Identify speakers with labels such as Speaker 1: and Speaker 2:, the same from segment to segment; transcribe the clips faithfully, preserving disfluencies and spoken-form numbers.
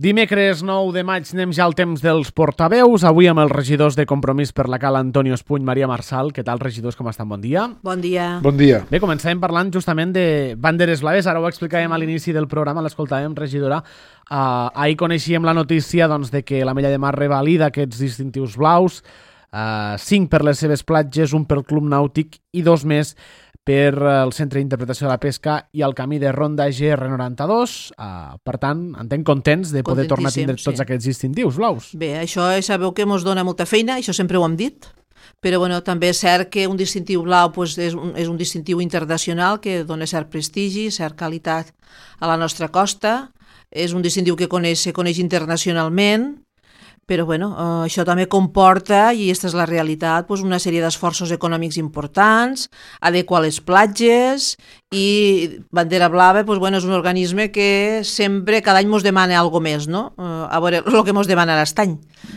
Speaker 1: Dimecres nou de maig anem ja al temps dels portaveus. Avui amb els regidors de Compromís per la Cala, Antonio Espuny, Maria Marçal. Què tal, regidors, com estan? Bon dia.
Speaker 2: Bon dia.
Speaker 3: Bon dia.
Speaker 1: Bé, començàvem parlant justament de banderes blaves. Ara ho explicàvem a l'inici del programa, l'escoltàvem, regidora. Uh, ahir coneixíem la notícia doncs, de que l'Ametlla de Mar revalida aquests distintius blaus, uh, cinc per les seves platges, un pel Club Nàutic i dos més per el Centre d'Interpretació de la Pesca i el camí de Ronda G R noranta-dos. Uh, per tant, entenc contents de poder tornar a tindre tots sí. aquests distintius blaus.
Speaker 2: Bé, això sabeu que ens dona molta feina, això sempre ho hem dit, però bueno, també és cert que un distintiu blau pues, és, un, és un distintiu internacional que dona cert prestigi, cert qualitat a la nostra costa, és un distintiu que coneix, se coneix internacionalment, però bueno, eh, això també comporta, i aquesta és la realitat, pues, una sèrie d'esforços econòmics importants, adequar les platges, i Bandera Blava pues, bueno, és un organisme que sempre, cada any ens demana alguna més, no? Eh, a veure el que ens demana l'estany,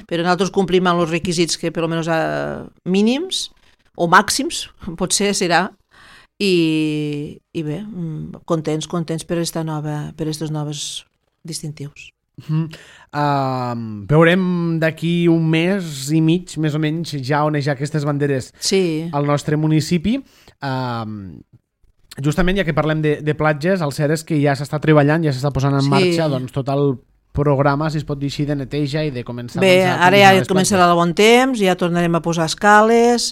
Speaker 2: però nosaltres complim amb els requisits que per almenys eh, mínims o màxims, potser serà, i, i bé, contents, contents per aquesta nova, per aquests nous distintius.
Speaker 1: Uh-huh. Uh, veurem d'aquí un mes i mig, més o menys, ja onejar aquestes banderes
Speaker 2: sí.
Speaker 1: al nostre municipi. Uh, justament, ja que parlem de, de platges, el cert és que ja s'està treballant, ja s'està posant en sí. marxa doncs, tot el programa, si es pot dir així, de neteja i de començar...
Speaker 2: Bé,
Speaker 1: doncs, a
Speaker 2: ara ja començarà el bon temps, ja tornarem a posar escales,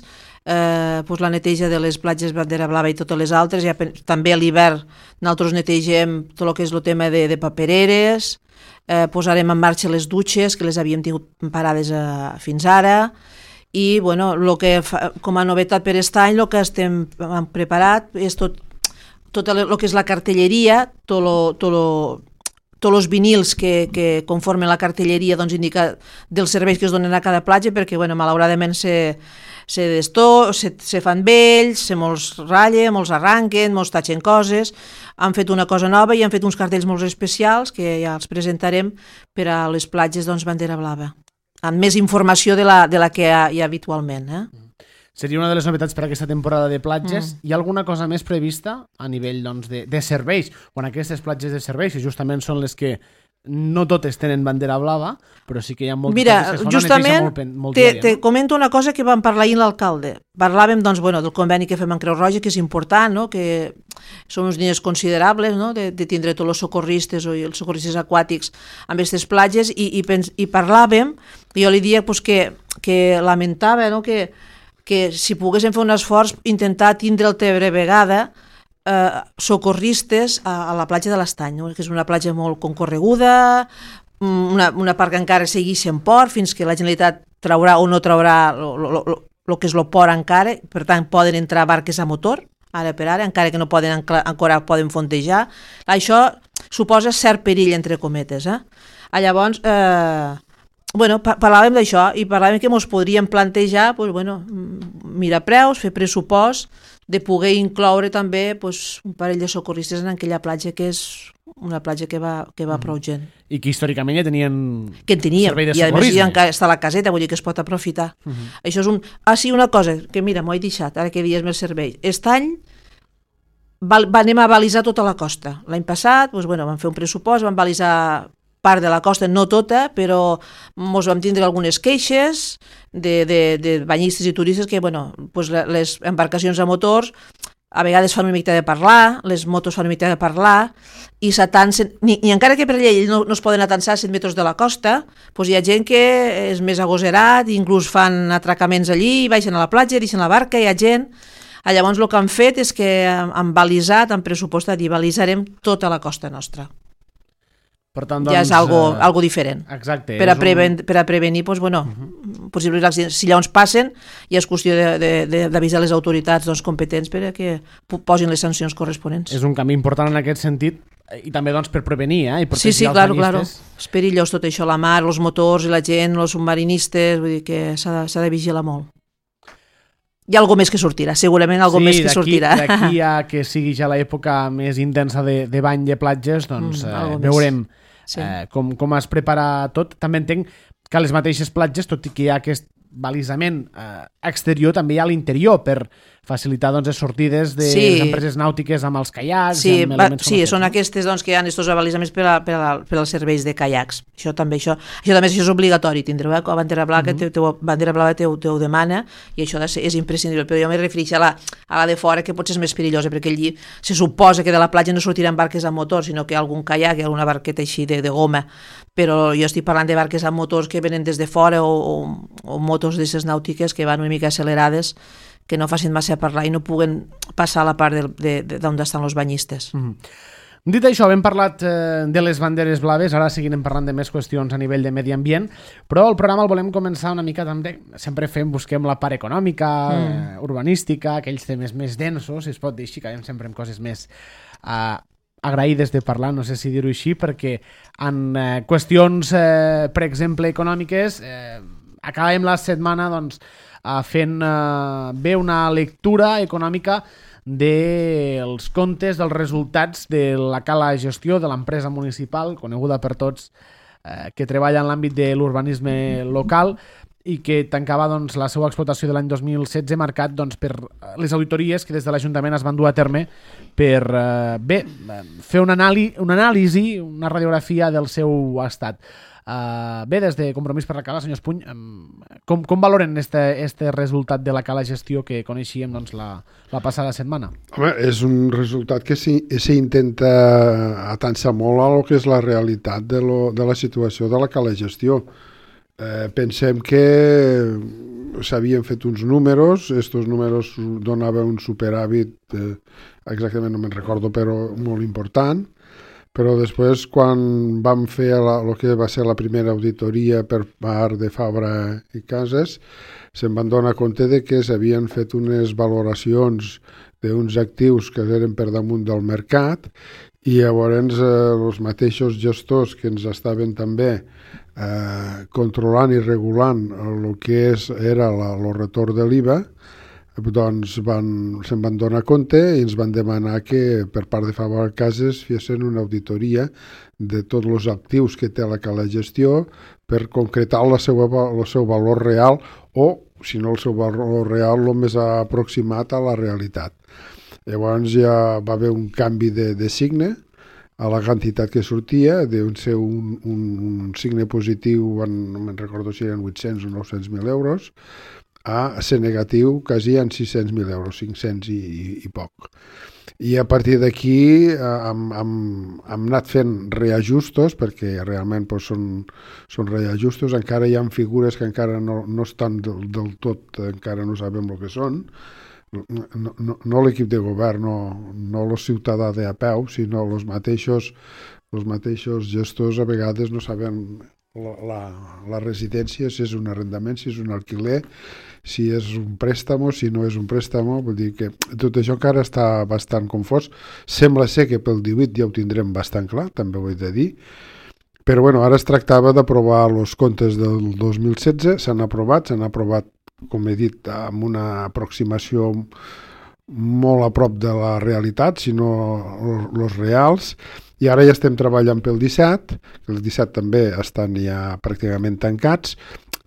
Speaker 2: eh, pues la neteja de les platges Bandera Blava i totes les altres, ja, també a l'hivern nosaltres netegem tot el que és el tema de, de papereres, Eh, posarem en marxa les dutxes que les havíem tingut parades eh, fins ara, i bueno, lo que fa, com a novetat per aquest any el que estem preparat és tot, tot el que és la cartelleria, tot lo, tot lo, tots els vinils que, que conformen la cartelleria doncs, indica dels serveis que es donen a cada platja, perquè bueno, malauradament se, se, destó, se, se fan vells, se molts ratllen, molts arranquen, molts tatxen coses. Han fet una cosa nova i han fet uns cartells molt especials que ja els presentarem per a les platges doncs, Bandera Blava, amb més informació de la, de la que hi ha, hi ha habitualment. Eh?
Speaker 1: Seria una de les novetats per aquesta temporada de platges. Mm. Hi ha alguna cosa més prevista a nivell doncs, de, de serveis? Quan aquestes platges de serveis, que justament són les que no totes tenen bandera blava, però sí que hi ha moltes
Speaker 2: Mira,
Speaker 1: que es fan
Speaker 2: justament
Speaker 1: molt, molt
Speaker 2: te,
Speaker 1: diària,
Speaker 2: te
Speaker 1: no?
Speaker 2: comento una cosa que vam parlar ahir l'alcalde. Parlàvem doncs, bueno, del conveni que fem amb Creu Roja, que és important, no? Que són uns diners considerables, no? de, de tindre tots els socorristes o els socorristes aquàtics amb aquestes platges, i, i, pens, i parlàvem, i jo li dia pues, que, que lamentava no? que, que si poguéssim fer un esforç, intentar tindre el Tebre vegada Eh, socorristes a, a la platja de l'Estany, no? Que és una platja molt concorreguda, una, una part que encara segueix en port, fins que la Generalitat traurà o no traurà el que és el port encara, per tant poden entrar barques a motor, ara per ara, encara que no poden encara poden fondejar. Això suposa cert perill, entre cometes. Eh? Llavors, eh, bueno, parlàvem d'això i parlàvem que ens podríem plantejar pues, bueno, mirar preus, fer pressupost, de poder incloure també pues, un parell de socorristes en aquella platja que és una platja que va, que va prou gent.
Speaker 1: I que històricament ja tenien
Speaker 2: que en teníem,
Speaker 1: servei de
Speaker 2: i a més
Speaker 1: socorrisme.
Speaker 2: ja encara està a la caseta, vull dir que es pot aprofitar. Uh -huh. Això és un... Ah, sí, una cosa, que mira, m'ho he deixat, ara que dies més servei. Aquest any va, va, anem a balisar tota la costa. L'any passat, doncs, bueno, vam fer un pressupost, vam balisar part de la costa, no tota, però ens vam tindre algunes queixes de, de, de banyistes i turistes que, bueno, pues les embarcacions a motors a vegades fan una mica de parlar, les motos fan una mica de parlar, i s'atansen, ni, ni encara que per llei no, no es poden atansar a set metres de la costa, pues hi ha gent que és més agoserat, inclús fan atracaments allí, baixen a la platja, deixen la barca, hi ha gent... Llavors el que han fet és que han balisat, han pressupostat i balisarem tota la costa nostra.
Speaker 1: Per tant, doncs,
Speaker 2: ja és algo,
Speaker 1: uh,
Speaker 2: algo diferent.
Speaker 1: Exacte.
Speaker 2: Per a, preven, un... per a prevenir, doncs, bueno, uh-huh. possibles accidents. Si llavors passen, ja és qüestió d'avisar les autoritats doncs, competents per a que posin les sancions corresponents.
Speaker 1: És un canvi important en aquest sentit i també doncs, per prevenir eh? I
Speaker 2: sí, sí, claro, claro. És perillós tot això, la mar, els motors i la gent, els submarinistes, vull dir que s'ha de, de vigilar molt. Hi ha alguna més que sortirà, segurament alguna
Speaker 1: sí,
Speaker 2: més que sortirà.
Speaker 1: Sí, d'aquí a que sigui ja l'època més intensa de, de bany de platges, doncs mm, eh, veurem sí. eh, com, com es prepara tot. També entenc que a les mateixes platges, tot i que hi ha aquest balisament eh, exterior, també hi ha a l'interior per facilitar doncs, les sortides de
Speaker 2: Sí.
Speaker 1: les empreses nàutiques amb els caiacs.
Speaker 2: Sí,
Speaker 1: amb
Speaker 2: va,
Speaker 1: elements com
Speaker 2: sí
Speaker 1: aquests,
Speaker 2: són
Speaker 1: no?
Speaker 2: aquestes doncs, que hi ha aquests balisaments per, a, per, a, per als serveis de caiacs. Això també, això, això també això és obligatori, tindreu, eh? La bandera blava, mm -hmm. te, te, bandera blava te, te ho demana i això és, és imprescindible, però jo me refereixo a la, a la de fora, que potser és més perillosa, perquè allí se suposa que de la platja no sortiran barques amb motor, sinó que hi ha algun caiac, hi ha alguna barqueta així de, de goma, però jo estic parlant de barques amb motors que venen des de fora o, o, o motos d'aquestes nàutiques que van una mica accelerades, que no facin massa parlar i no puguen passar a la part d'on estan els banyistes.
Speaker 1: Mm-hmm. Dit això, hem parlat eh, de les banderes blaves, ara seguirem parlant de més qüestions a nivell de medi ambient, però el programa el volem començar una mica també, sempre fem, busquem la part econòmica, mm. eh, urbanística, aquells temes més densos, si es pot dir així, acabem sempre amb coses més eh, agraïdes de parlar, no sé si dir-ho així, perquè en eh, qüestions, eh, per exemple, econòmiques, eh, acabem la setmana, doncs, Uh, fent uh, bé una lectura econòmica dels comptes, dels resultats de la cala gestió de l'empresa municipal, coneguda per tots, uh, que treballa en l'àmbit de l'urbanisme local i que tancava doncs, la seva explotació de l'any dos mil setze marcat doncs, per les auditories que des de l'Ajuntament es van dur a terme per uh, bé, fer un anàlisi, una anàlisi, una radiografia del seu estat. Uh, bé, des de Compromís per la Cala, senyor Espuny, um, com, com valoren este, este resultat de la cala gestió que coneixíem doncs, la, la passada setmana?
Speaker 3: Home, és un resultat que s'intenta atançar molt a lo que és la realitat de, lo, de la situació de la cala gestió. Eh, pensem que s'havien fet uns números, estos números donaven un superàvit, eh, exactament no me'n recordo, però molt important. Però després, quan vam fer el que va ser la primera auditoria per part de Fabra i Cases, se'n van donar compte de que s'havien fet unes valoracions d'uns actius que eren per damunt del mercat i llavors eh, els mateixos gestors que ens estaven també eh, controlant i regulant el que és, era la, el retorn de l'I V A, doncs van, se'n van donar compte i ens van demanar que per part de Fabra Cases fessin una auditoria de tots els actius que té la cala gestió per concretar la seva, el seu valor real o, si no el seu valor real, el més aproximat a la realitat. Llavors ja va haver un canvi de, de signe a la quantitat que sortia, d'un ser un, un, un signe positiu, en, no me'n recordo si eren vuit-cents o nou-cents mil euros, a ser negatiu quasi en sis-cents mil euros, cinc-cents i, i, i poc. I a partir d'aquí hem, hem, hem anat fent reajustos, perquè realment doncs, són, són reajustos, encara hi ha figures que encara no, no estan del, del tot, encara no sabem el que són, no, no, no l'equip de govern, no, no el ciutadà de a peu, sinó els mateixos, els mateixos gestors a vegades no saben la, la, la residència, si és un arrendament, si és un alquiler, si és un préstamo, si no és un préstamo, vull dir que tot això encara està bastant confós. Sembla ser que pel divuit ja ho tindrem bastant clar, també ho he de dir, però bueno, ara es tractava d'aprovar els comptes del dos mil setze, s'han aprovat, s'han aprovat, com he dit, amb una aproximació molt a prop de la realitat, sinó els reals, i ara ja estem treballant pel disset, els disset també estan ja pràcticament tancats,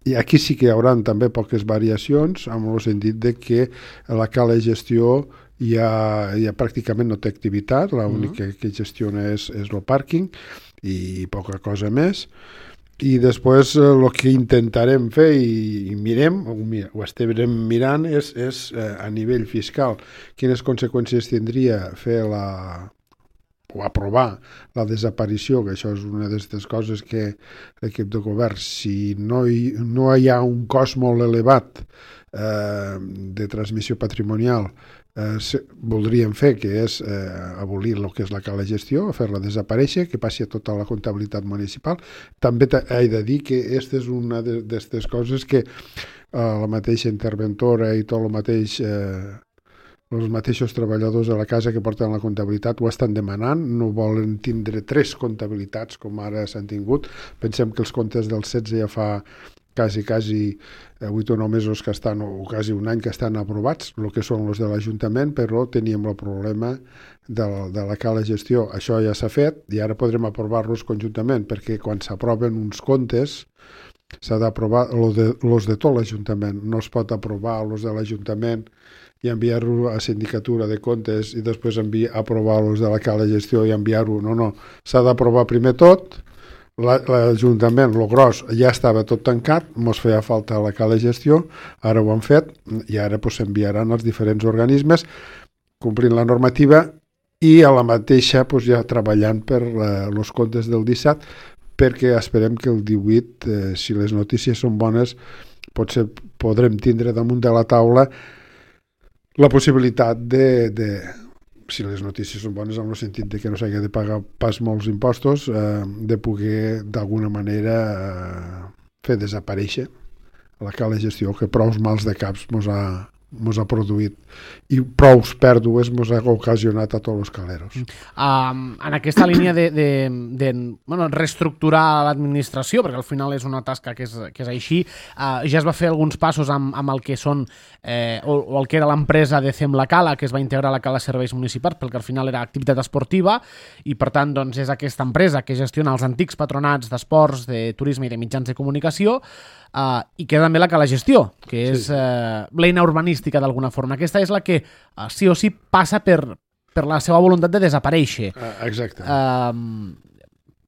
Speaker 3: i aquí sí que hi haurà també poques variacions, amb el sentit de que la cala de gestió ja, ja pràcticament no té activitat, l'única que gestiona és, és el pàrquing i poca cosa més. I després el que intentarem fer i, i mirem, o, o estem mirant, és, és eh, a nivell fiscal quines conseqüències tindria fer la o aprovar la desaparició, que això és una d'aquestes coses que l'equip de govern, si no hi, no hi ha un cost molt elevat eh, de transmissió patrimonial, eh, se, voldríem fer, que és eh, abolir el que és la cala gestió, fer-la desaparèixer, que passi a tota la comptabilitat municipal. També he de dir que aquesta és una d'aquestes coses que eh, la mateixa interventora i tot el mateix... Eh, els mateixos treballadors de la casa que porten la comptabilitat ho estan demanant, no volen tindre tres comptabilitats com ara s'han tingut. Pensem que els comptes del setze ja fa quasi, quasi vuit o nou mesos que estan, o quasi un any que estan aprovats, el que són els de l'Ajuntament, però teníem el problema de la, de la cala gestió. Això ja s'ha fet i ara podrem aprovar-los conjuntament, perquè quan s'aproven uns comptes s'ha d'aprovar los de, los de tot l'Ajuntament. No es pot aprovar los de l'Ajuntament i enviar-ho a Sindicatura de Comptes i després enviar, aprovar los de la Cala de Gestió i enviar-ho. No, no. S'ha d'aprovar primer tot. L'Ajuntament, lo gros, ja estava tot tancat, mos feia falta la Cala de Gestió, ara ho han fet i ara pues, s'enviaran als diferents organismes complint la normativa i a la mateixa pues, ja treballant per els comptes del disset, perquè esperem que el divuit, eh, si les notícies són bones, potser podrem tindre damunt de la taula la possibilitat de, de si les notícies són bones en el sentit de que no s'hagi de pagar pas molts impostos, eh, de poder d'alguna manera eh, fer desaparèixer la Cala de Gestió, que prou mals de caps mos ha, mos ha produït i prou pèrdues mos ha ocasionat a tots els caleros.
Speaker 1: Um, en aquesta línia de, de, de bueno, reestructurar l'administració, perquè al final és una tasca que és, que és així, uh, ja es va fer alguns passos amb, amb el que són eh, o, o el que era l'empresa de Cem la Cala, que es va integrar a la Cala Serveis Municipals, perquè al final era activitat esportiva i per tant doncs, és aquesta empresa que gestiona els antics patronats d'esports, de turisme i de mitjans de comunicació, Uh, i que també la Cala Gestió, que és sí, sí. Uh, l'eina urbanística d'alguna forma. Aquesta és la que uh, sí o sí passa per, per la seva voluntat de desaparèixer.
Speaker 3: Uh, exacte.
Speaker 1: Uh,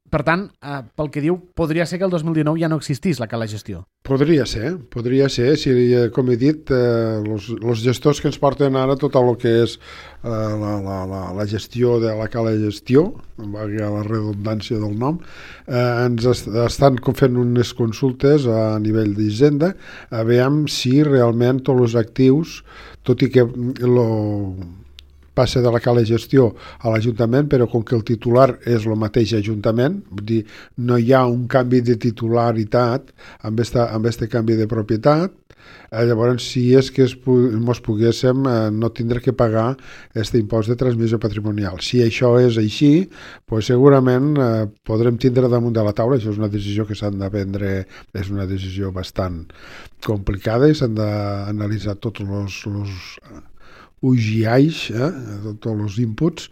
Speaker 1: per tant, uh, pel que diu, podria ser que el dos mil dinou ja no existís la Cala Gestió.
Speaker 3: Podria ser, podria ser. Si, com he dit, eh, los, los gestors que ens porten ara tot el que és eh, la, la, la, la gestió de la Cala Gestió, valgui la redundància del nom, eh, ens est estan fent unes consultes a nivell d'Hisenda a veure si realment tots els actius, tot i que lo passa de la Cala de Gestió a l'Ajuntament, però com que el titular és el mateix Ajuntament, vull dir, no hi ha un canvi de titularitat amb este, amb este canvi de propietat, eh, llavors si és que es, mos poguéssim eh, no tindre que pagar aquest impost de transmissió patrimonial. Si això és així, pues segurament eh, podrem tindre damunt de la taula, això és una decisió que s'han de prendre, és una decisió bastant complicada i s'han d'analitzar tots els... els U G Is, eh, tots els inputs.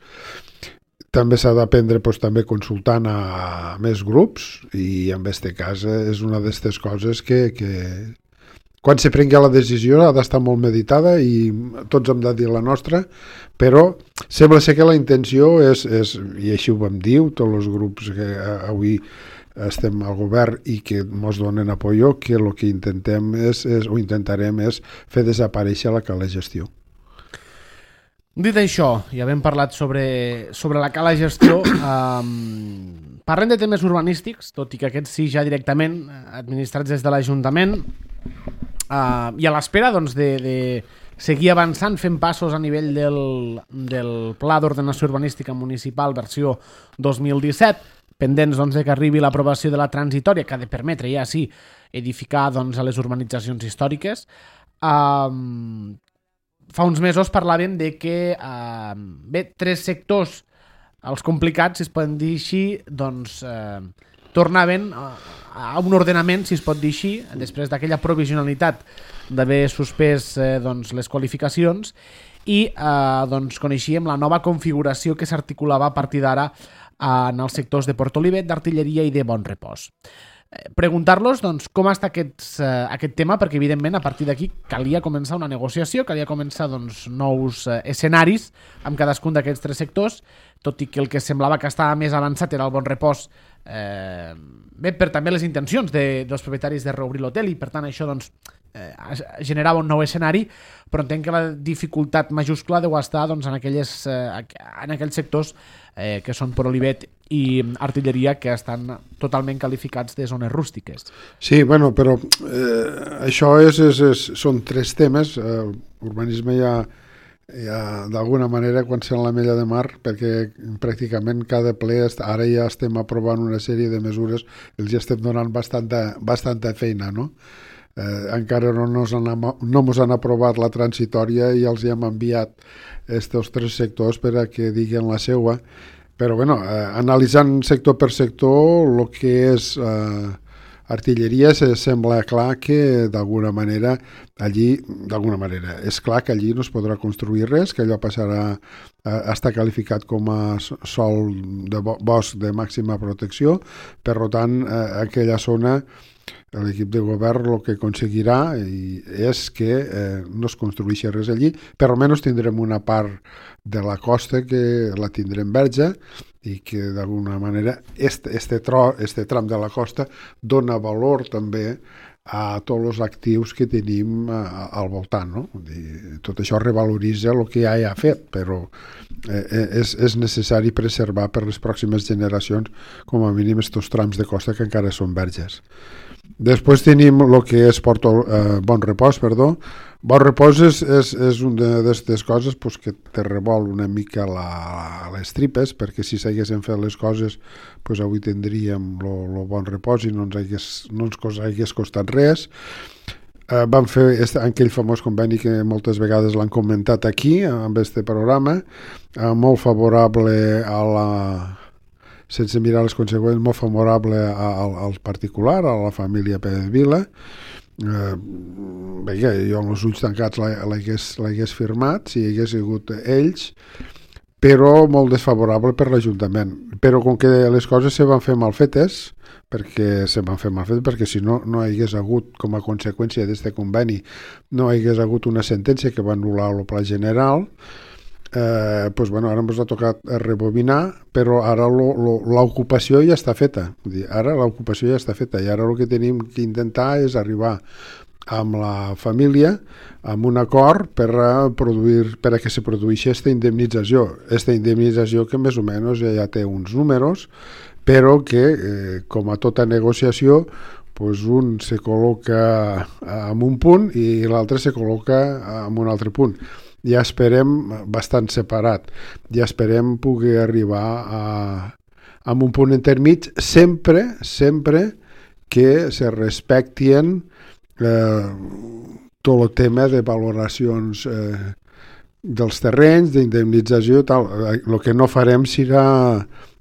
Speaker 3: També s'ha d'aprendre pues, també consultant a més grups i en aquest cas és una d'aquestes coses que, que quan se prengui la decisió ha d'estar molt meditada i tots hem de dir la nostra, però sembla ser que la intenció és, és i així ho vam dir, tots els grups que avui estem al govern i que ens donen apoyo, que el que intentem és, és, o intentarem és fer desaparèixer la Cala Gestió.
Speaker 1: Dit això, ja hem parlat sobre, sobre la Cala Gestió, um, parlem de temes urbanístics, tot i que aquests sí ja directament administrats des de l'Ajuntament, uh, i a l'espera doncs, de, de seguir avançant, fent passos a nivell del, del Pla d'Ordenació Urbanística Municipal versió dos mil disset, pendents doncs, de que arribi l'aprovació de la transitòria, que ha de permetre ja sí edificar doncs, a les urbanitzacions històriques. Um, Fa uns mesos parlàvem de que eh, bé, tres sectors, els complicats, si es poden dir així, doncs eh, tornaven a, a un ordenament, si es pot dir així, després d'aquella provisionalitat d'haver suspès eh, doncs, les qualificacions i eh, doncs, coneixíem la nova configuració que s'articulava a partir d'ara eh, en els sectors de Port Olivet, d'Artilleria i de Bon Repòs. Preguntar-los doncs, com està aquest, uh, aquest tema, perquè evidentment a partir d'aquí calia començar una negociació, calia començar doncs, nous uh, escenaris amb cadascun d'aquests tres sectors, tot i que el que semblava que estava més avançat era el Bon Repòs, eh, bé, per també les intencions de, dels propietaris de reobrir l'hotel i per tant això doncs, eh, generava un nou escenari, però entenc que la dificultat majúscula deu estar doncs, en, aquelles, eh, en aquells sectors eh, que són Port Olivet i Artilleria, que estan totalment qualificats de zones rústiques.
Speaker 3: Sí, bueno, però eh, això és, és, és, són tres temes. Eh, urbanisme ja, ja d'alguna manera quan sent la Mella de Mar, perquè pràcticament cada ple ara ja estem aprovant una sèrie de mesures, els ja estem donant bastanta, bastanta feina, no? Eh, encara no ens han, no mos han aprovat la transitòria i els hem enviat estos tres sectors per a que diguen la seua. Però, bueno, eh, analitzant sector per sector, el que és eh, artilleria, se sembla clar que d'alguna manera allí, d'alguna manera, és clar que allí no es podrà construir res, que allò passarà a estar qualificat com a sòl de bosc de màxima protecció, per tant, eh, aquella zona l'equip de govern el que aconseguirà és que eh, no es construeixi res allí, però almenys tindrem una part de la costa que la tindrem verge i que d'alguna manera este, este, tro, este tram de la costa dona valor també a tots els actius que tenim a, al voltant, no? Tot això revaloritza el que ja hi ha fet, però eh, és, és necessari preservar per les pròximes generacions com a mínim estos trams de costa que encara són verges. Després tenim el que és Porto, eh, Bon Repòs, perdó. Bon Repòs és, és, és una d'aquestes coses pues, que te revol una mica la, les tripes, perquè si s'haguessin fet les coses pues, avui tindríem el Bon Repòs i no ens hagués, no ens hagués costat res. Eh, vam fer este, aquell famós conveni que moltes vegades l'han comentat aquí, amb este programa, eh, molt favorable a la... sense mirar les conseqüències, molt favorable al, al particular, a la família Pérez Vila. Eh, bé, jo amb els ulls tancats l'hagués firmat, si hi hagués sigut ells, però molt desfavorable per l'Ajuntament. Però com que les coses se van fer mal fetes, perquè se van fer mal fetes, perquè si no, no hi hagués hagut, com a conseqüència d'aquest conveni, no hi hagués hagut una sentència que va anul·lar el pla general. Eh, pues bueno, ara ens ha tocat rebobinar, però ara l'ocupació ja està feta. Ara l'ocupació ja està feta i ara el que tenim que intentar és arribar amb la família amb un acord per a, produir, per a que se produeixi aquesta indemnització. Aquesta indemnització que més o menys ja té uns números, però que, eh, com a tota negociació, pues un se col·loca en un punt i l'altre se col·loca en un altre punt. Ja esperem bastant separat, ja esperem poder arribar a, a un punt intermig, sempre, sempre que se respectien eh, tot el tema de valoracions eh, dels terrenys, d'indemnització i tal. El que no farem serà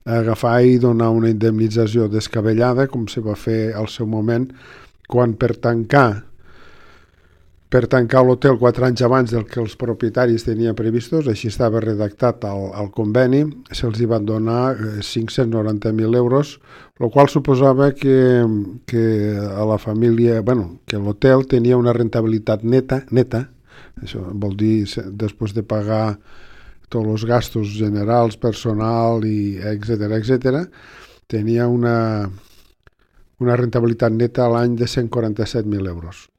Speaker 3: agafar i donar una indemnització descabellada, com se va fer al seu moment, quan per tancar per tancar l'hotel quatre anys abans del que els propietaris tenien previstos, així estava redactat al, al conveni, se'ls hi van donar cinc-cents noranta mil euros, el qual suposava que, que a la família, bueno, que l'hotel tenia una rentabilitat neta, neta, això vol dir després de pagar tots els gastos generals, personal, i etcètera, etcètera, tenia una, una rentabilitat neta a l'any de cent quaranta-set mil euros.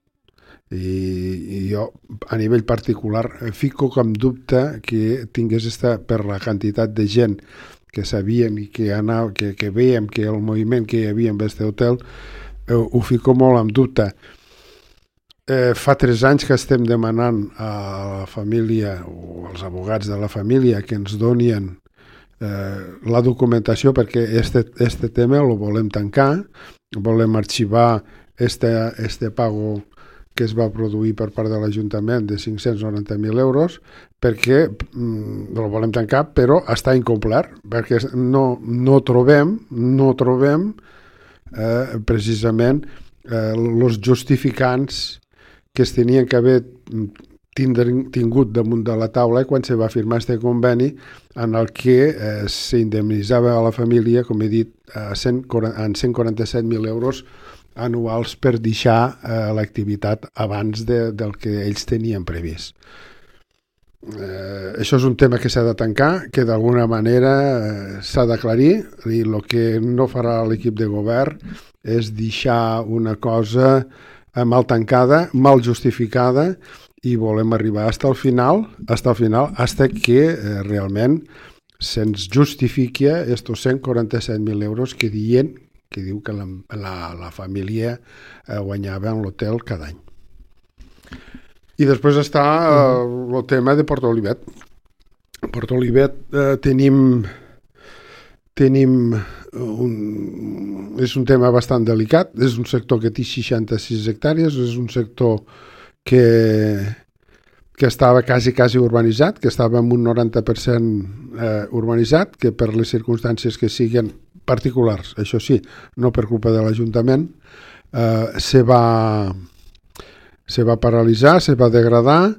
Speaker 3: I, i jo a nivell particular fico com dubte que tingués esta, per la quantitat de gent que sabien i que, anava, que, que veiem que el moviment que hi havia en aquest hotel eh, ho fico molt en dubte. Eh, fa tres anys que estem demanant a la família o als abogats de la família que ens donien eh, la documentació perquè este, este tema el volem tancar, volem arxivar este, este pago que es va produir per part de l'Ajuntament de cinc-cents noranta mil euros perquè mm, el volem tancar però està incomplert perquè no, no trobem no trobem eh, precisament els eh, justificants que es tenien que haver tingut damunt de la taula quan se va firmar aquest conveni en el que eh, s'indemnitzava a la família, com he dit, a cent, en cent quaranta-set mil euros anuals per deixar eh, l'activitat abans de, del que ells tenien previst. Eh, això és un tema que s'ha de tancar, que d'alguna manera eh, s'ha d'aclarir i el que no farà l'equip de govern és deixar una cosa mal tancada, mal justificada i volem arribar fins al final, fins al final, fins que eh, realment se'ns justifiqui estos cent quaranta-set mil euros que diuen que diu que la, la, la família eh, guanyava en l'hotel cada any. I després està eh, el tema de Port Olivet. Port Olivet eh, tenim, tenim un, és un tema bastant delicat, és un sector que té seixanta-sis hectàrees, és un sector que, que estava quasi, quasi urbanitzat, que estava en un noranta per cent eh, urbanitzat, que per les circumstàncies que siguen particulars, això sí, no per culpa de l'Ajuntament, eh, se va se va paralitzar, se va degradar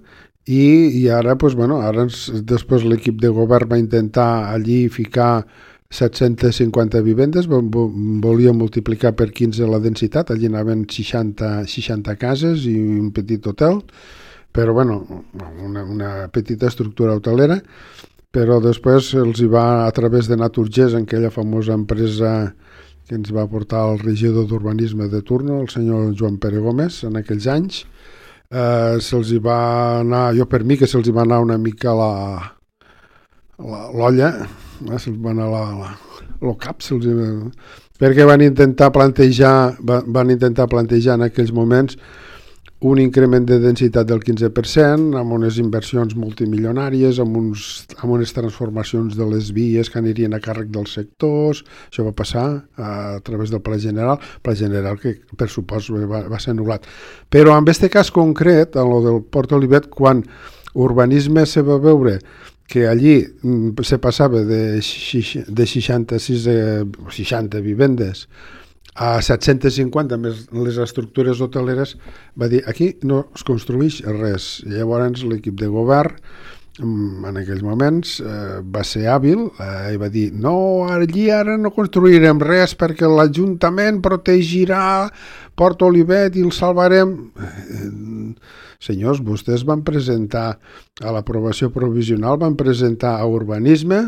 Speaker 3: i, i ara, pues, bueno, ara ens, després l'equip de govern va intentar allí ficar set-centes cinquanta vivendes, volia multiplicar per quinze la densitat, allí anaven seixanta, seixanta cases i un petit hotel, però bueno, una, una petita estructura hotelera, però després els hi va, a través de Naturgés, en aquella famosa empresa que ens va portar el regidor d'urbanisme de turno, el senyor Joan Pere Gómez, en aquells anys, eh, se'ls hi va anar, jo per mi que se'ls hi va anar una mica la l'olla, eh, se'ls va anar la, la, el cap, se'ls hi va... perquè van intentar plantejar, van intentar plantejar en aquells moments un increment de densitat del quinze per cent, amb unes inversions multimilionàries, amb, uns, amb unes transformacions de les vies que anirien a càrrec dels sectors. Això va passar a, a través del Pla General, Pla General que per supost va, va ser anul·lat. Però en aquest cas concret, en lo del Port Olivet, quan urbanisme se va veure que allí se passava de, de seixanta-sis a seixanta vivendes a set-centes cinquanta més les estructures hoteleres, va dir aquí no es construeix res. Llavors l'equip de govern en aquells moments eh, va ser hàbil eh, i va dir no, allí ara no construirem res perquè l'Ajuntament protegirà Port Olivet i el salvarem. Eh, senyors, vostès van presentar a l'aprovació provisional, van presentar a urbanisme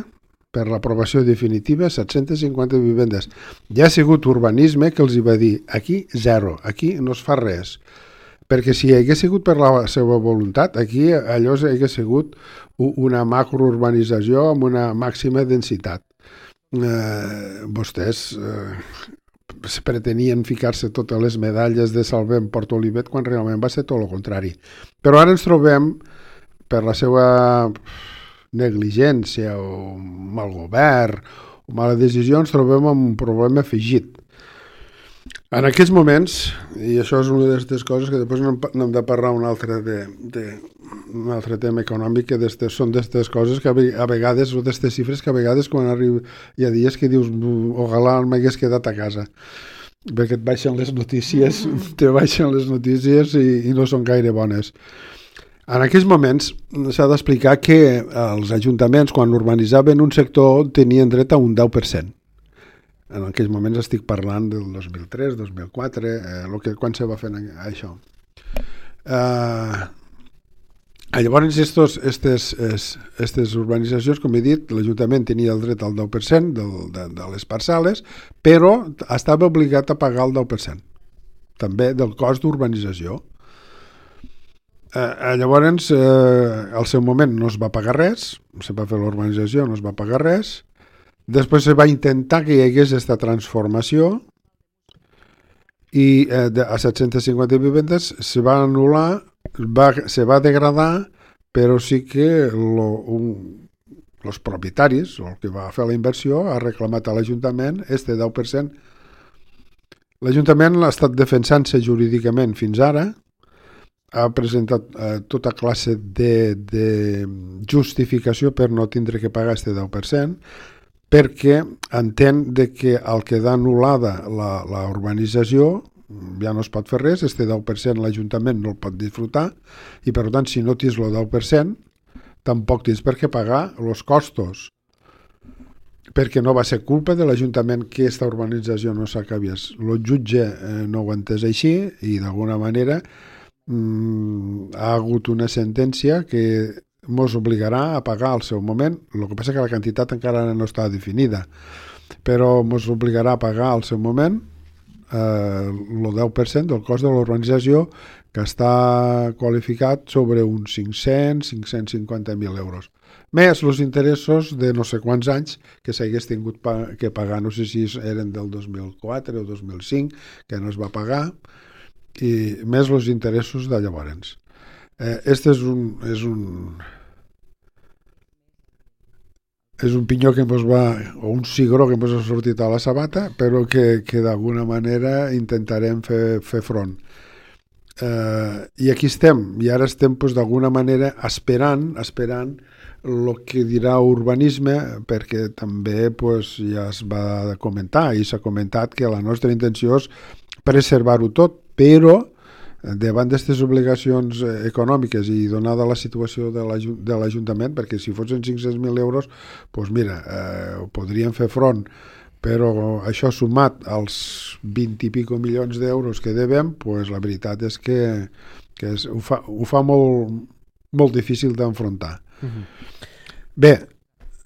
Speaker 3: per l'aprovació definitiva set-centes cinquanta vivendes. Ja ha sigut urbanisme que els hi va dir aquí zero, aquí no es fa res. Perquè si hagués sigut per la seva voluntat, aquí allò hagués sigut una macrourbanització amb una màxima densitat. Eh, vostès eh, pretenien ficar-se totes les medalles de Salvem Port Olivet quan realment va ser tot el contrari. Però ara ens trobem, per la seva negligència o mal govern o mala decisió, ens trobem amb un problema afegit. En aquests moments, i això és una d'aquestes coses que després n'hem de parlar un altre, de, de, un altre tema econòmic, que destes, són d'aquestes coses que a vegades, o d'aquestes xifres que a vegades quan arriba, hi ha dies que dius ojalà m'hagués quedat a casa, perquè et baixen les notícies, te baixen les notícies i, i no són gaire bones. En aquells moments s'ha d'explicar que els ajuntaments, quan urbanitzaven un sector, tenien dret a un deu per cent. En aquells moments estic parlant del dos mil tres, dos mil quatre, eh, lo que, quan se va fer això. Eh, llavors, estos, estes, es, estes urbanitzacions, com he dit, l'Ajuntament tenia el dret al deu per cent del, de, de les parcel·les, però estava obligat a pagar el deu per cent, també del cost d'urbanització. Eh, llavors, eh, al seu moment no es va pagar res, se va fer l'urbanització, no es va pagar res. Després se va intentar que hi hagués aquesta transformació i eh, de, a set-centes cinquanta vivendes se va anul·lar, va, se va degradar, però sí que lo, un, els propietaris, o el que va fer la inversió, ha reclamat a l'Ajuntament este deu per cent. L'Ajuntament ha estat defensant-se jurídicament fins ara, ha presentat eh, tota classe de, de justificació per no tindre que pagar este deu per cent, perquè entén de que al quedar anul·lada la, la urbanització ja no es pot fer res, este deu per cent l'Ajuntament no el pot disfrutar i per tant si no tens el deu per cent tampoc tens per què pagar els costos, perquè no va ser culpa de l'Ajuntament que aquesta urbanització no s'acabés. El jutge eh, no ho ha entès així i d'alguna manera mm, ha hagut una sentència que ens obligarà a pagar al seu moment. El que passa que la quantitat encara no està definida, però ens obligarà a pagar al seu moment eh, el deu per cent del cost de l'urbanització, que està qualificat sobre uns cinc-cents a cinc-cents cinquanta mil euros. Més els interessos de no sé quants anys que s'hagués tingut pa- que pagar. No sé si eren del dos mil quatre o dos mil cinc, que no es va pagar, i més els interessos de llavors. Eh, este és un... És un és un pinyó que ens va, o un cigró que ens ha sortit a la sabata, però que, que d'alguna manera intentarem fer, fer front. Eh, I aquí estem, i ara estem pues, d'alguna manera esperant, esperant el que dirà urbanisme, perquè també pues, ja es va comentar, i s'ha comentat que la nostra intenció és preservar-ho tot, però davant d'aquestes obligacions econòmiques i donada la situació de l'Ajuntament, perquè si fossin cinc-cents mil euros, doncs mira, eh, podrien fer front, però això sumat als vint i pico milions d'euros que devem, doncs la veritat és que, que és, ho fa, ho fa molt, molt difícil d'enfrontar. Uh-huh. Bé,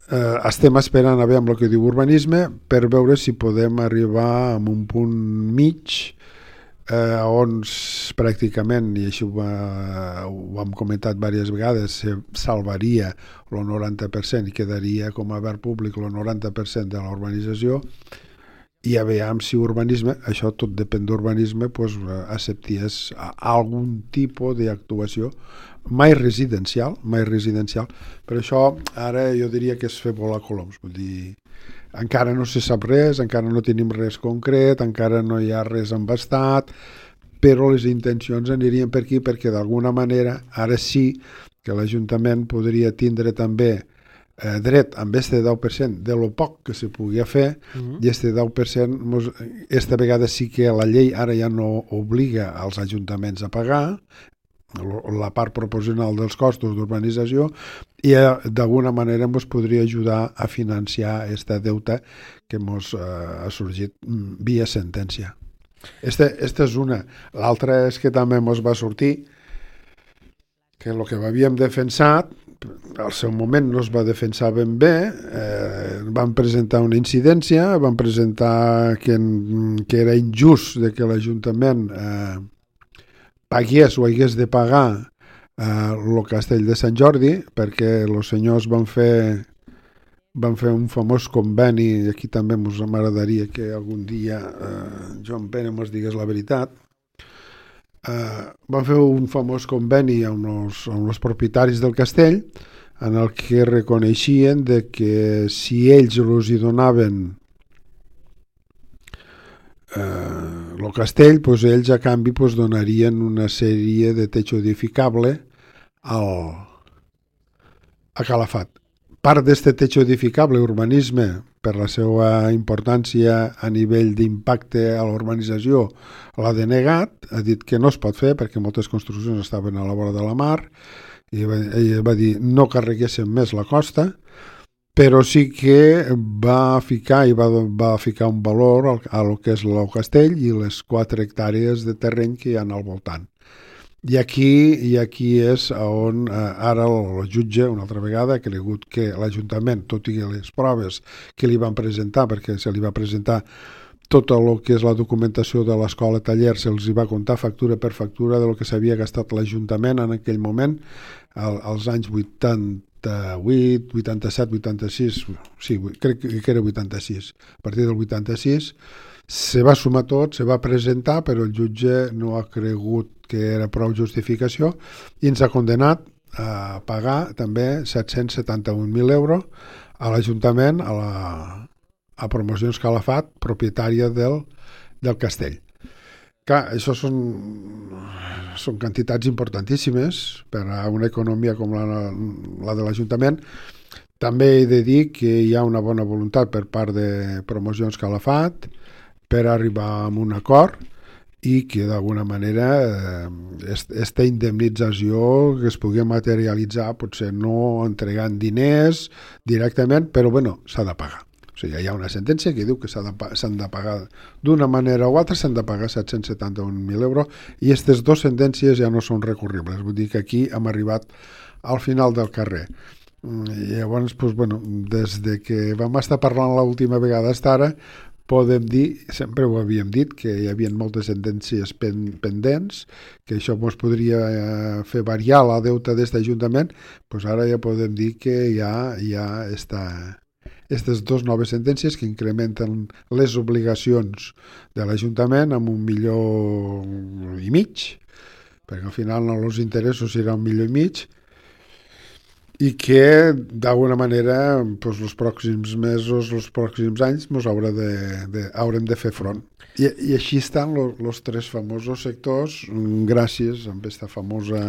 Speaker 3: eh, estem esperant a veure el que diu urbanisme per veure si podem arribar a un punt mig eh, on pràcticament, i això ho, va, ho hem comentat diverses vegades, se salvaria el noranta per cent i quedaria com a verd públic el noranta per cent de la urbanització, i a veure si urbanisme, això tot depèn d'urbanisme, pues, acceptés algun tipus d'actuació, mai residencial, mai residencial, però això ara jo diria que és fer volar coloms, vull dir, encara no se sap res, encara no tenim res concret, encara no hi ha res embastat, però les intencions anirien per aquí perquè d'alguna manera ara sí que l'Ajuntament podria tindre també eh, dret amb este deu per cent de lo poc que se podia fer, uh-huh. i este deu per cent mos, esta vegada sí que la llei ara ja no obliga als ajuntaments a pagar la part proporcional dels costos d'urbanització, i eh, d'alguna manera ens podria ajudar a financiar aquesta deuta que ens eh, ha sorgit via sentència. Esta, esta és una. L'altra és que també ens va sortir que el que havíem defensat al seu moment no es va defensar ben bé, eh, van presentar una incidència, van presentar que, que era injust de que l'Ajuntament eh, pagués o hagués de pagar el eh, castell de Sant Jordi, perquè els senyors van fer van fer un famós conveni, i aquí també ens m'agradaria que algun dia eh, Joan Pere ens digués la veritat. Eh, van fer un famós conveni amb els, amb els propietaris del castell, en el que reconeixien de que si ells els hi donaven eh, el castell, doncs ells a canvi doncs, donarien una sèrie de techo edificable al, a Calafat. Part d'aquest techo edificable, urbanisme, per la seva importància a nivell d'impacte a l'urbanització, l'ha denegat, ha dit que no es pot fer perquè moltes construccions estaven a la vora de la mar, i va, ell va dir no carreguessin més la costa, però sí que va ficar i va, va ficar un valor al, a lo que és el castell i les quatre hectàrees de terreny que hi ha al voltant. I aquí, i aquí és on eh, ara el, el jutge, una altra vegada, ha cregut que l'Ajuntament, tot i les proves que li van presentar, perquè se li va presentar tot el que és la documentació de l'escola taller, se'ls va comptar factura per factura de lo que s'havia gastat l'Ajuntament en aquell moment, al, als anys vuitanta-vuit, vuitanta-set, vuitanta-sis, sí, crec que era vuitanta-sis. A partir del vuitanta-sis se va sumar tot, se va presentar, però el jutge no ha cregut que era prou justificació i ens ha condenat a pagar també set-cents setanta-un mil euros a l'Ajuntament, a la a Promocions Calafat, propietària del, del castell. Clar, això són, són quantitats importantíssimes per a una economia com la, la de l'Ajuntament. També he de dir que hi ha una bona voluntat per part de Promocions Calafat per arribar a un acord i que d'alguna manera aquesta indemnització que es pugui materialitzar, potser no entregant diners directament, però bueno, s'ha de pagar. O sigui, hi ha una sentència que diu que s'han de, s'han de pagar d'una manera o altra, s'han de pagar set-cents setanta-un mil euros, i aquestes dues sentències ja no són recurribles. Vull dir que aquí hem arribat al final del carrer. I llavors, doncs, bueno, des de que vam estar parlant l'última vegada fins ara, podem dir, sempre ho havíem dit, que hi havia moltes sentències pen, pendents, que això ens podria fer variar la deuta d'aquest Ajuntament, doncs ara ja podem dir que ja, ja està... Aquestes dues noves sentències que incrementen les obligacions de l'Ajuntament amb un milió i mig, perquè al final els interessos seran un milió i mig, i que d'alguna manera doncs, els pròxims mesos, els pròxims anys mos haurà de, de, haurem de fer front. I, i així estan els tres famosos sectors gràcies a aquesta famosa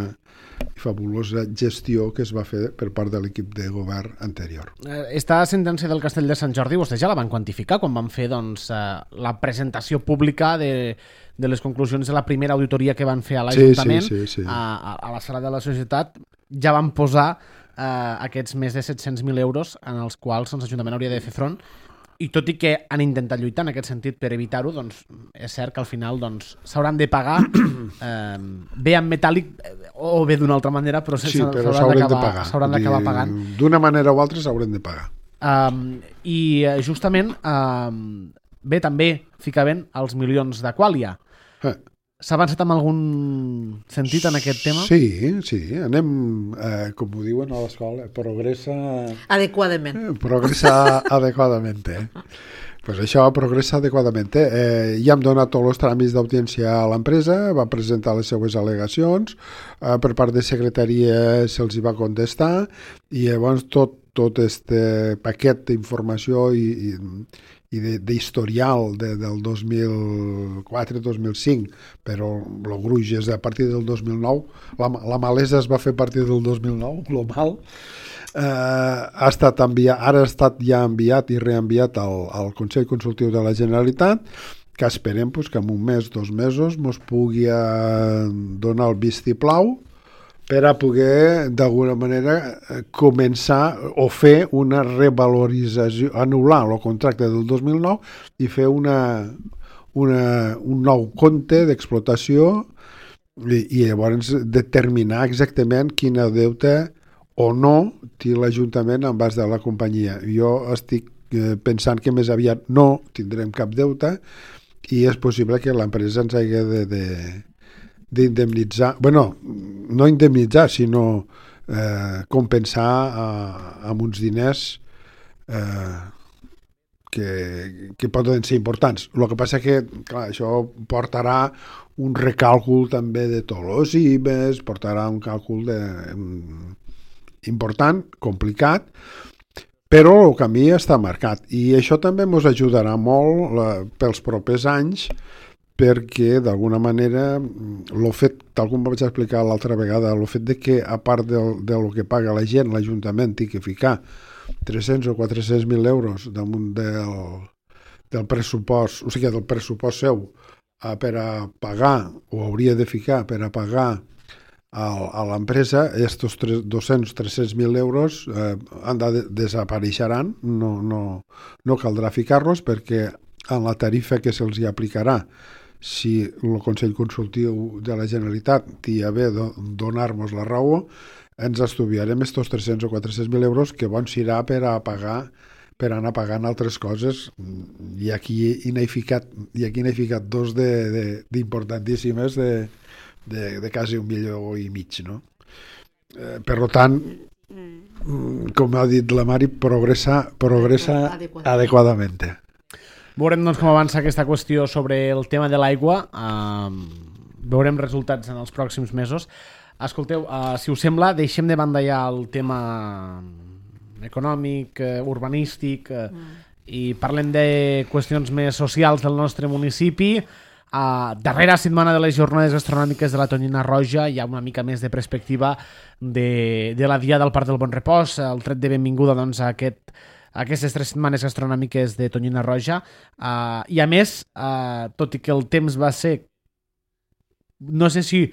Speaker 3: i fabulosa gestió que es va fer per part de l'equip de govern anterior.
Speaker 1: Esta sentència del Castell de Sant Jordi vostès ja la van quantificar quan van fer doncs, la presentació pública de, de les conclusions de la primera auditoria que van fer a l'Ajuntament,
Speaker 3: sí, sí, sí, sí.
Speaker 1: a, a la sala de la societat. Ja van posar eh, aquests més de set-cents mil euros en els quals doncs, l'Ajuntament hauria de fer front. I tot i que han intentat lluitar en aquest sentit per evitar-ho, doncs és cert que al final doncs, s'hauran de pagar eh, bé en metàl·lic o bé d'una altra manera, però
Speaker 3: sí, s'hauran de pagar.
Speaker 1: S'hauran d'acabar pagant.
Speaker 3: D'una manera o altra s'hauran de pagar.
Speaker 1: Um, I justament, um, bé, també ficaven els milions d'Aquàlia. Eh. S'ha avançat en algun sentit en aquest tema?
Speaker 3: Sí, sí. Anem, eh, com ho diuen a l'escola, progressa...
Speaker 2: Adequadament.
Speaker 3: Eh, progressa adequadament. Eh? Pues això progressa adequadament. Eh, ja hem donat tots els tràmits d'audiència a l'empresa, va presentar les seues al·legacions, eh, per part de secretaria se'ls hi va contestar, i llavors tot, tot este paquet d'informació i, i i d'historial de, del dos mil quatre dos mil cinc, però el gruix és a partir del dos mil nou, la, la malesa es va fer a partir del dos mil nou, global, eh, ha estat enviat, ara ha estat ja enviat i reenviat al, al Consell Consultiu de la Generalitat, que esperem pues, que en un mes, dos mesos, mos pugui donar el vistiplau per a poder, d'alguna manera, començar o fer una revalorització, anul·lar el contracte del dos mil nou i fer una, una, un nou compte d'explotació i, i llavors determinar exactament quina deute o no té l'Ajuntament en base de la companyia. Jo estic pensant que més aviat no tindrem cap deute i és possible que l'empresa ens hagi de... de d'indemnitzar, bueno, no indemnitzar, sinó eh, compensar eh, amb uns diners eh, que, que poden ser importants. El que passa que, clar, això portarà un recàlcul també de tots els I B E S, portarà un càlcul de, important, complicat, però el camí està marcat. I això també ens ajudarà molt la, pels propers anys, perquè d'alguna manera el fet, tal com vaig explicar l'altra vegada, el fet de que a part del, del que paga la gent, l'Ajuntament té que ficar tres-cents o quatre-cents mil euros damunt del, del pressupost, o sigui, del pressupost seu a, per a pagar, o hauria de ficar per a pagar a, a l'empresa, estos dos-cents o tres-cents mil euros eh, han de, desapareixeran, no, no, no caldrà ficar-los perquè en la tarifa que se'ls hi aplicarà si el Consell Consultiu de la Generalitat té a bé donar-nos la raó, ens estudiarem estos tres-cents o quatre-cents mil euros que bons serà per a pagar, per anar pagant altres coses, i aquí n'he ficat, i aquí n'he ficat dos d'importantíssimes de, de, de, de quasi un milió i mig, no? Eh, per tant, com ha dit la Mari, progressa, progressa adequadament.
Speaker 1: Veurem doncs, com avança aquesta qüestió sobre el tema de l'aigua. Uh, veurem resultats en els pròxims mesos. Escolteu, uh, si us sembla, deixem de banda ja el tema econòmic, uh, urbanístic, uh, mm. i parlem de qüestions més socials del nostre municipi. Uh, darrera setmana de les jornades gastronòmiques de la Tonyina Roja hi ha una mica més de perspectiva de, de la Dia del Parc del Bon Repòs, el tret de benvinguda doncs, a aquest aquestes tres setmanes gastronòmiques de Tonyina Roja, uh, i a més, uh, tot i que el temps va ser, no sé si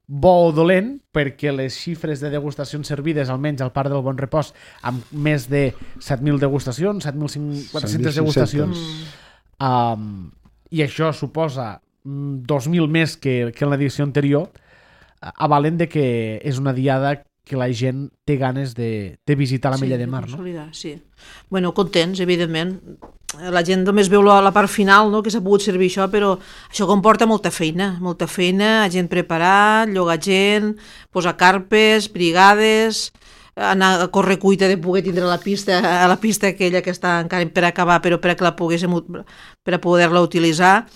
Speaker 1: bo o dolent, perquè les xifres de degustacions servides, almenys al Parc del Bon Repòs, amb més de set mil degustacions, set mil quatre-cents degustacions, um, i això suposa dos mil més que, que en l'edició anterior, uh, avalen de que és una diada que la gent té ganes de, de visitar la Mella
Speaker 2: sí,
Speaker 1: de Mar, no?
Speaker 2: Sí. Bueno, contents, evidentment. La gent només veu la, la part final, no?, que s'ha pogut servir això, però això comporta molta feina, molta feina, gent preparat, llogar gent, posar carpes, brigades, anar a córrer cuita de poder tindre la pista, a la pista aquella que està encara per acabar, però per a que la poguéssim, per a poder-la utilitzar.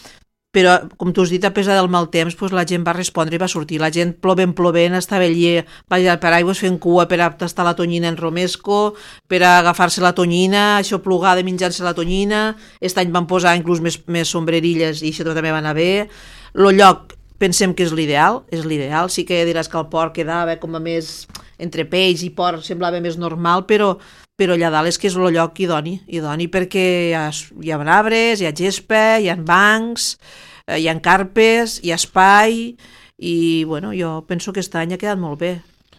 Speaker 2: però, com tu has dit, a pesar del mal temps, doncs la gent va respondre i va sortir. La gent plovent, plovent, estava allà, va allà per aigües fent cua per a tastar la tonyina en romesco, per a agafar-se la tonyina, això plugada menjant-se la tonyina. Aquest any van posar inclús més, més sombrerilles i això també va anar bé. El lloc, pensem que és l'ideal, és l'ideal. Sí que diràs que el port quedava com a més entre peix i port, semblava més normal, però però allà dalt és que és el lloc idoni, idoni perquè hi ha, hi ha arbres, hi ha gespa, hi ha bancs, hi ha carpes, hi ha espai, i bueno, jo penso que aquest any ha quedat molt bé,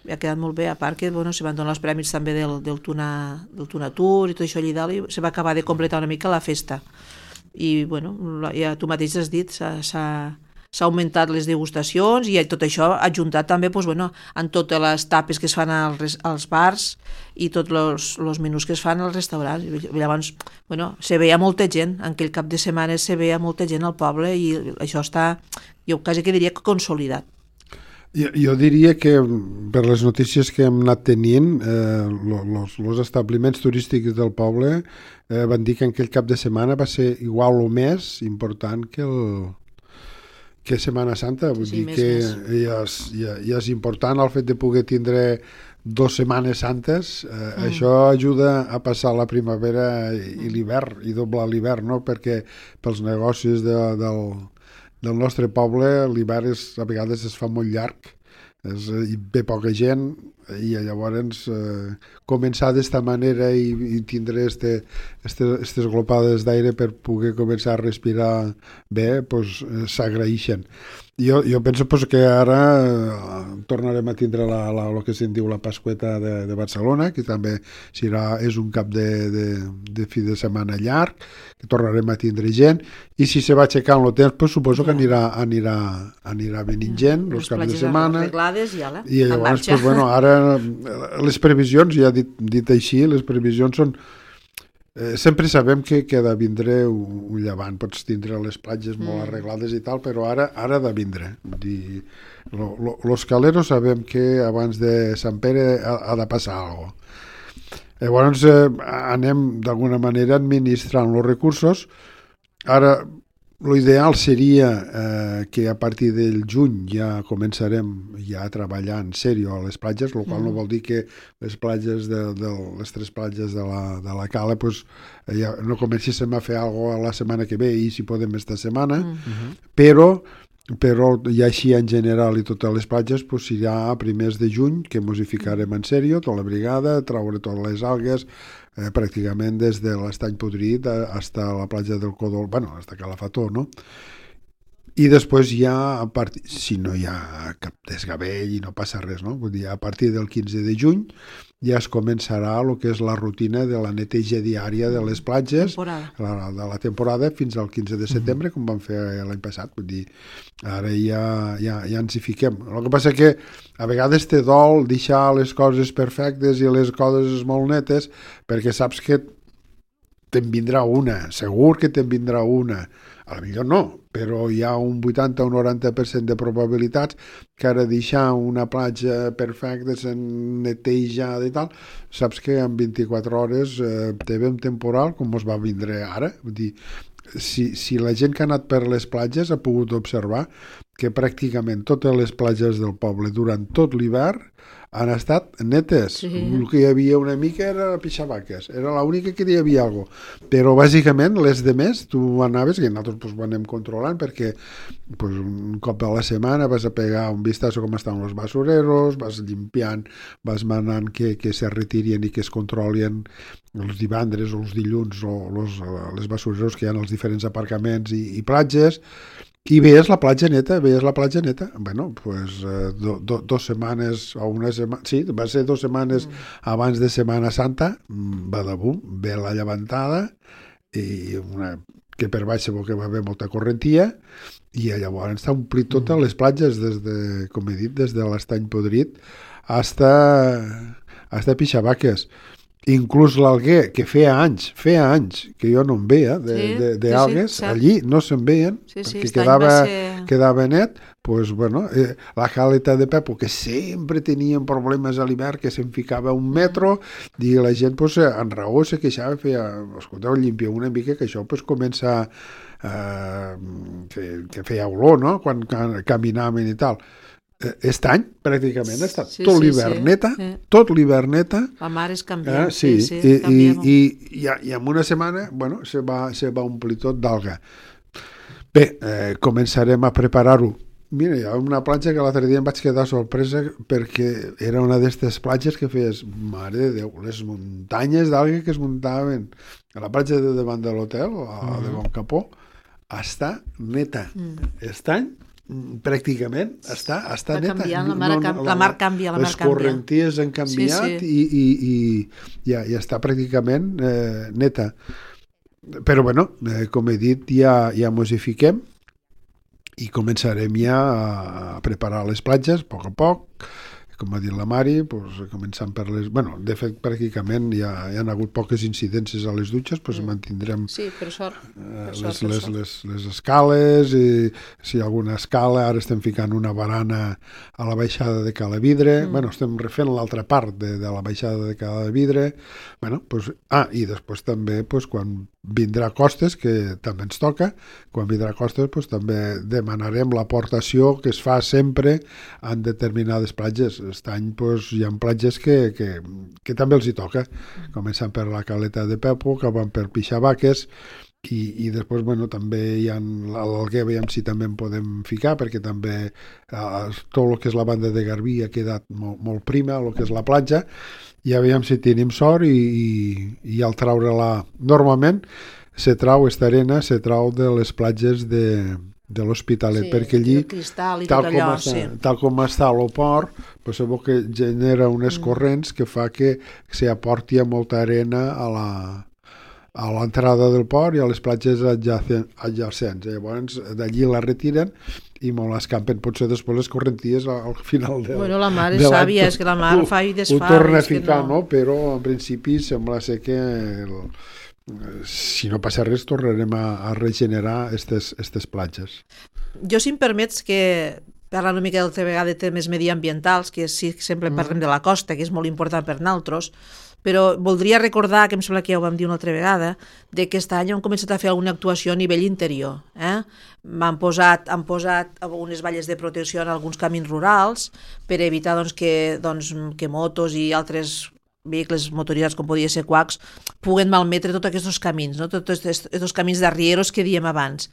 Speaker 2: ha quedat molt bé, a part que bueno, se van donar els premis també del, del, tuna, del Tuna Tour i tot això allà dalt, i se va acabar de completar una mica la festa. I bueno, ja tu mateix has dit, s'ha s'ha augmentat les degustacions i tot això ha ajuntat també doncs, bueno, en totes les tapes que es fan als, als bars i tots els menús que es fan als restaurants. Llavors, bueno, se veia molta gent, en aquell cap de setmana se veia molta gent al poble i això està, jo quasi que diria que consolidat.
Speaker 3: Jo, jo diria que per les notícies que hem anat tenint, els eh, establiments turístics del poble eh, van dir que en aquell cap de setmana va ser igual o més important que el que Setmana Santa, vull sí, dir més, que més. Ja, és, ja, ja és important el fet de poder tindre dues setmanes santes, eh, mm. això ajuda a passar la primavera i l'hivern, i doblar l'hivern, no? Perquè pels negocis de, del, del nostre poble l'hivern a vegades es fa molt llarg, és, hi ve poca gent, i llavors eh, començar d'esta manera i, i tindre este, este, estes glopades d'aire per poder començar a respirar bé, pues, eh, s'agraeixen. Jo, jo penso pues, que ara eh, tornarem a tindre la, la, el que se'n diu la Pasqüeta de, de Barcelona, que també serà, és un cap de, de, de fi de setmana llarg, que tornarem a tindre gent, i si se va aixecant el temps, pues, suposo que anirà, anirà, anirà venint gent, els
Speaker 2: les
Speaker 3: caps de setmana.
Speaker 2: I, ala,
Speaker 3: i llavors, pues, bueno, ara les previsions, ja dit, dit així, les previsions són... Eh, sempre sabem que, que ha de vindre un, un llevant, pots tindre les platges mm. molt arreglades i tal, però ara ara ha de vindre. Vull dir, lo, lo, los caleros sabem que abans de Sant Pere ha, ha de passar alguna cosa. Llavors eh, anem d'alguna manera administrant els recursos. Ara, l'ideal seria eh, que a partir del juny ja començarem ja a treballar en sèrio a les platges, el qual mm. no vol dir que les platges de, de les tres platges de la, de la Cala pues, ja no comencéssim a fer alguna cosa la setmana que ve i si podem esta setmana, mm. però però ja així en general i totes les platges pues, serà a primers de juny que mos hi ficarem en sèrio, tota la brigada, traure totes les algues, eh, pràcticament des de l'Estany Podrit fins a la platja del Codol, bueno, fins a Calafató, no? I després ja, a part... si no hi ha cap desgavell i no passa res, no? Vull dir, a partir del quinze de juny ja es començarà el que és la rutina de la neteja diària de les platges, la, de la temporada, fins al quinze de setembre, com vam fer l'any passat. Vull dir, ara ja, ja, ja ens hi fiquem. El que passa que a vegades te dol deixar les coses perfectes i les coses molt netes, perquè saps que te'n vindrà una, segur que te'n vindrà una. A la millor no, però hi ha un vuitanta o un noranta per cent de probabilitats que ara deixar una platja perfecta, netejada i tal, saps que en vint-i-quatre hores eh, te ve un temporal com es va vindre ara. Vull dir, si, si la gent que ha anat per les platges ha pogut observar que pràcticament totes les platges del poble durant tot l'hivern han estat netes. Sí. El que hi havia una mica era pixabaques, era l'única que hi havia alguna cosa. Però bàsicament les de més tu anaves, que nosaltres pues, ho anem controlant perquè pues, un cop a la setmana vas a pegar un vistazo com estan els basureros, vas limpiant, vas manant que, que se retirin i que es controlin els divendres o els dilluns o los, les basureros que hi ha als diferents aparcaments i, i platges. I veies la platja neta, veies la platja neta. Bueno, pues eh, do, do, dos setmanes o una setmana, sí, va ser dos setmanes mm. abans de Setmana Santa, va de bum, ve la llevantada i una, que per baix segur que va haver molta correntia i llavors està omplit totes mm. les platges des de, com he dit, des de l'Estany Podrit hasta, hasta Pixabaques. Inclús l'alguer, que feia anys, feia anys que jo no en veia d'algues, sí, sí, sí, allí no se'n veien, sí, sí, perquè quedava, ser... quedava net, pues, bueno, eh, la caleta de Pepo, que sempre tenien problemes a l'hivern, que se'n ficava un metro, i la gent pues, en raó se queixava, feia, escolteu, llimpia una mica, que això pues, comença eh, que, que feia olor, no?, quan caminaven i tal. Aquest any, pràcticament, ha estat sí, tot sí, l'hivern sí. neta, sí. tot l'hivern neta.
Speaker 2: La mar és canviant, eh?
Speaker 3: sí,
Speaker 2: sí,
Speaker 3: sí,
Speaker 2: i,
Speaker 3: i, i, i, i en una setmana, bueno, se va, se va omplir tot d'alga. Bé, eh, començarem a preparar-ho. Mira, hi ha una platja que l'altre dia em vaig quedar sorpresa perquè era una d'aquestes platges que feies, mare de Déu, les muntanyes d'alga que es muntaven a la platja de davant de l'hotel, a mm. de Bon Capó, està neta. Mm. Aquest any pràcticament està, està, està neta.
Speaker 2: Canviant, la, mar no, no, la, la mar canvia, la mar
Speaker 3: les
Speaker 2: canvia. Les
Speaker 3: correnties han canviat sí, sí. i, i, i ja, ja està pràcticament eh, neta. Però bueno, eh, com he dit, ja, ja mos hi fiquem i començarem ja a preparar les platges a poc a poc. Com ha dit la Mari, pues, començant per les... Bueno, de fet, pràcticament ja hi ha hagut poques incidències a les dutxes, pues, mm. mantindrem
Speaker 2: sí, per sort.
Speaker 3: Eh,
Speaker 2: per
Speaker 3: les,
Speaker 2: sort,
Speaker 3: les, les, les escales, i si hi ha alguna escala, ara estem ficant una barana a la baixada de Calavidre, mm. bueno, estem refent l'altra part de, de la baixada de Calavidre, bueno, pues, ah, i després també, pues, quan vindrà Costes, que també ens toca, quan vindrà Costes, pues, també demanarem l'aportació que es fa sempre en determinades platges. Aquest any pues, hi ha platges que, que, que també els hi toca, començant per la Caleta de Pepo, que van per Pixabaques, i, i després bueno, també hi ha l'Alguer, veiem si també en podem ficar, perquè també eh, tot el que és la banda de Garbí ha quedat molt, molt prima, el que és la platja, i ja veiem si tenim sort i, i, i al treure-la normalment se trau, esta arena se trau de les platges de, de l'Hospitalet,
Speaker 2: sí,
Speaker 3: perquè allí
Speaker 2: cristal i
Speaker 3: tal,
Speaker 2: tot
Speaker 3: com
Speaker 2: allò,
Speaker 3: està,
Speaker 2: sí.
Speaker 3: tal com està el port, pues, sabeu que genera unes mm. corrents que fa que se aporti molta arena a la a l'entrada del port i a les platges adjacents. Llavors d'allí la retiren i molt escampen potser després les correnties al final del...
Speaker 2: Bueno, la mar és sàvia, és que la mar ho, fa i desfà.
Speaker 3: Ho torna a ficar, no. no? Però en principi sembla ser que el, si no passa res tornarem a, a regenerar aquestes estes platges.
Speaker 2: Jo, si em permets, que parlant una mica d'altra vegada de temes mediambientals, que sí que sempre parlem mm. de la costa, que és molt important per nosaltres, però voldria recordar, que em sembla que ja ho vam dir una altra vegada, de que aquest any hem començat a fer alguna actuació a nivell interior. Eh? Han posat, han posat unes valles de protecció en alguns camins rurals per evitar doncs, que, doncs, que motos i altres vehicles motoritzats, com podia ser quacs, puguen malmetre tots aquests camins, no? Tots aquests camins d'arrieros que diem abans.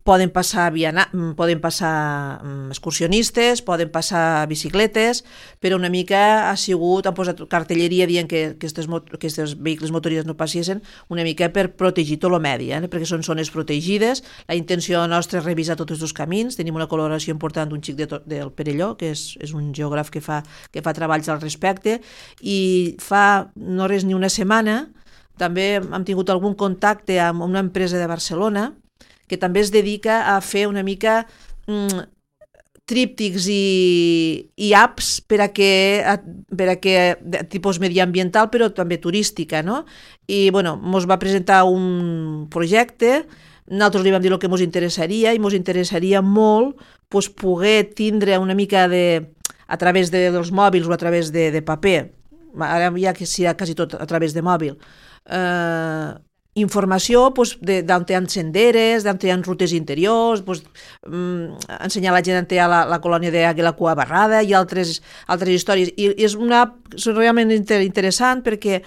Speaker 2: Poden passar, viana, poden passar excursionistes, poden passar bicicletes, però una mica ha sigut, han posat cartelleria dient que aquests vehicles motoritzats no passessin, una mica per protegir tot el medi, eh? perquè són zones protegides. La intenció nostra és revisar tots els camins. Tenim una col·laboració important d'un xic de to, del Perelló, que és, és un geògraf que fa, que fa treballs al respecte, i fa no res ni una setmana també hem tingut algun contacte amb una empresa de Barcelona que també es dedica a fer una mica mm, tríptics i, i apps per a que, per a que de tipus mediambiental però també turística, no? I bueno, ens va presentar un projecte, nosaltres li vam dir el que ens interessaria i ens interessaria molt pues, poder tindre una mica de, a través de, dels mòbils o a través de, de paper, ara ja que serà quasi tot a través de mòbil, eh, informació pues, d'on hi ha senderes, d'on hi ha rutes interiors, pues, mm, ensenyar a la gent on hi ha la, la colònia d'Àguila Cua Barrada i altres, altres històries. I, i és una és realment inter, interessant perquè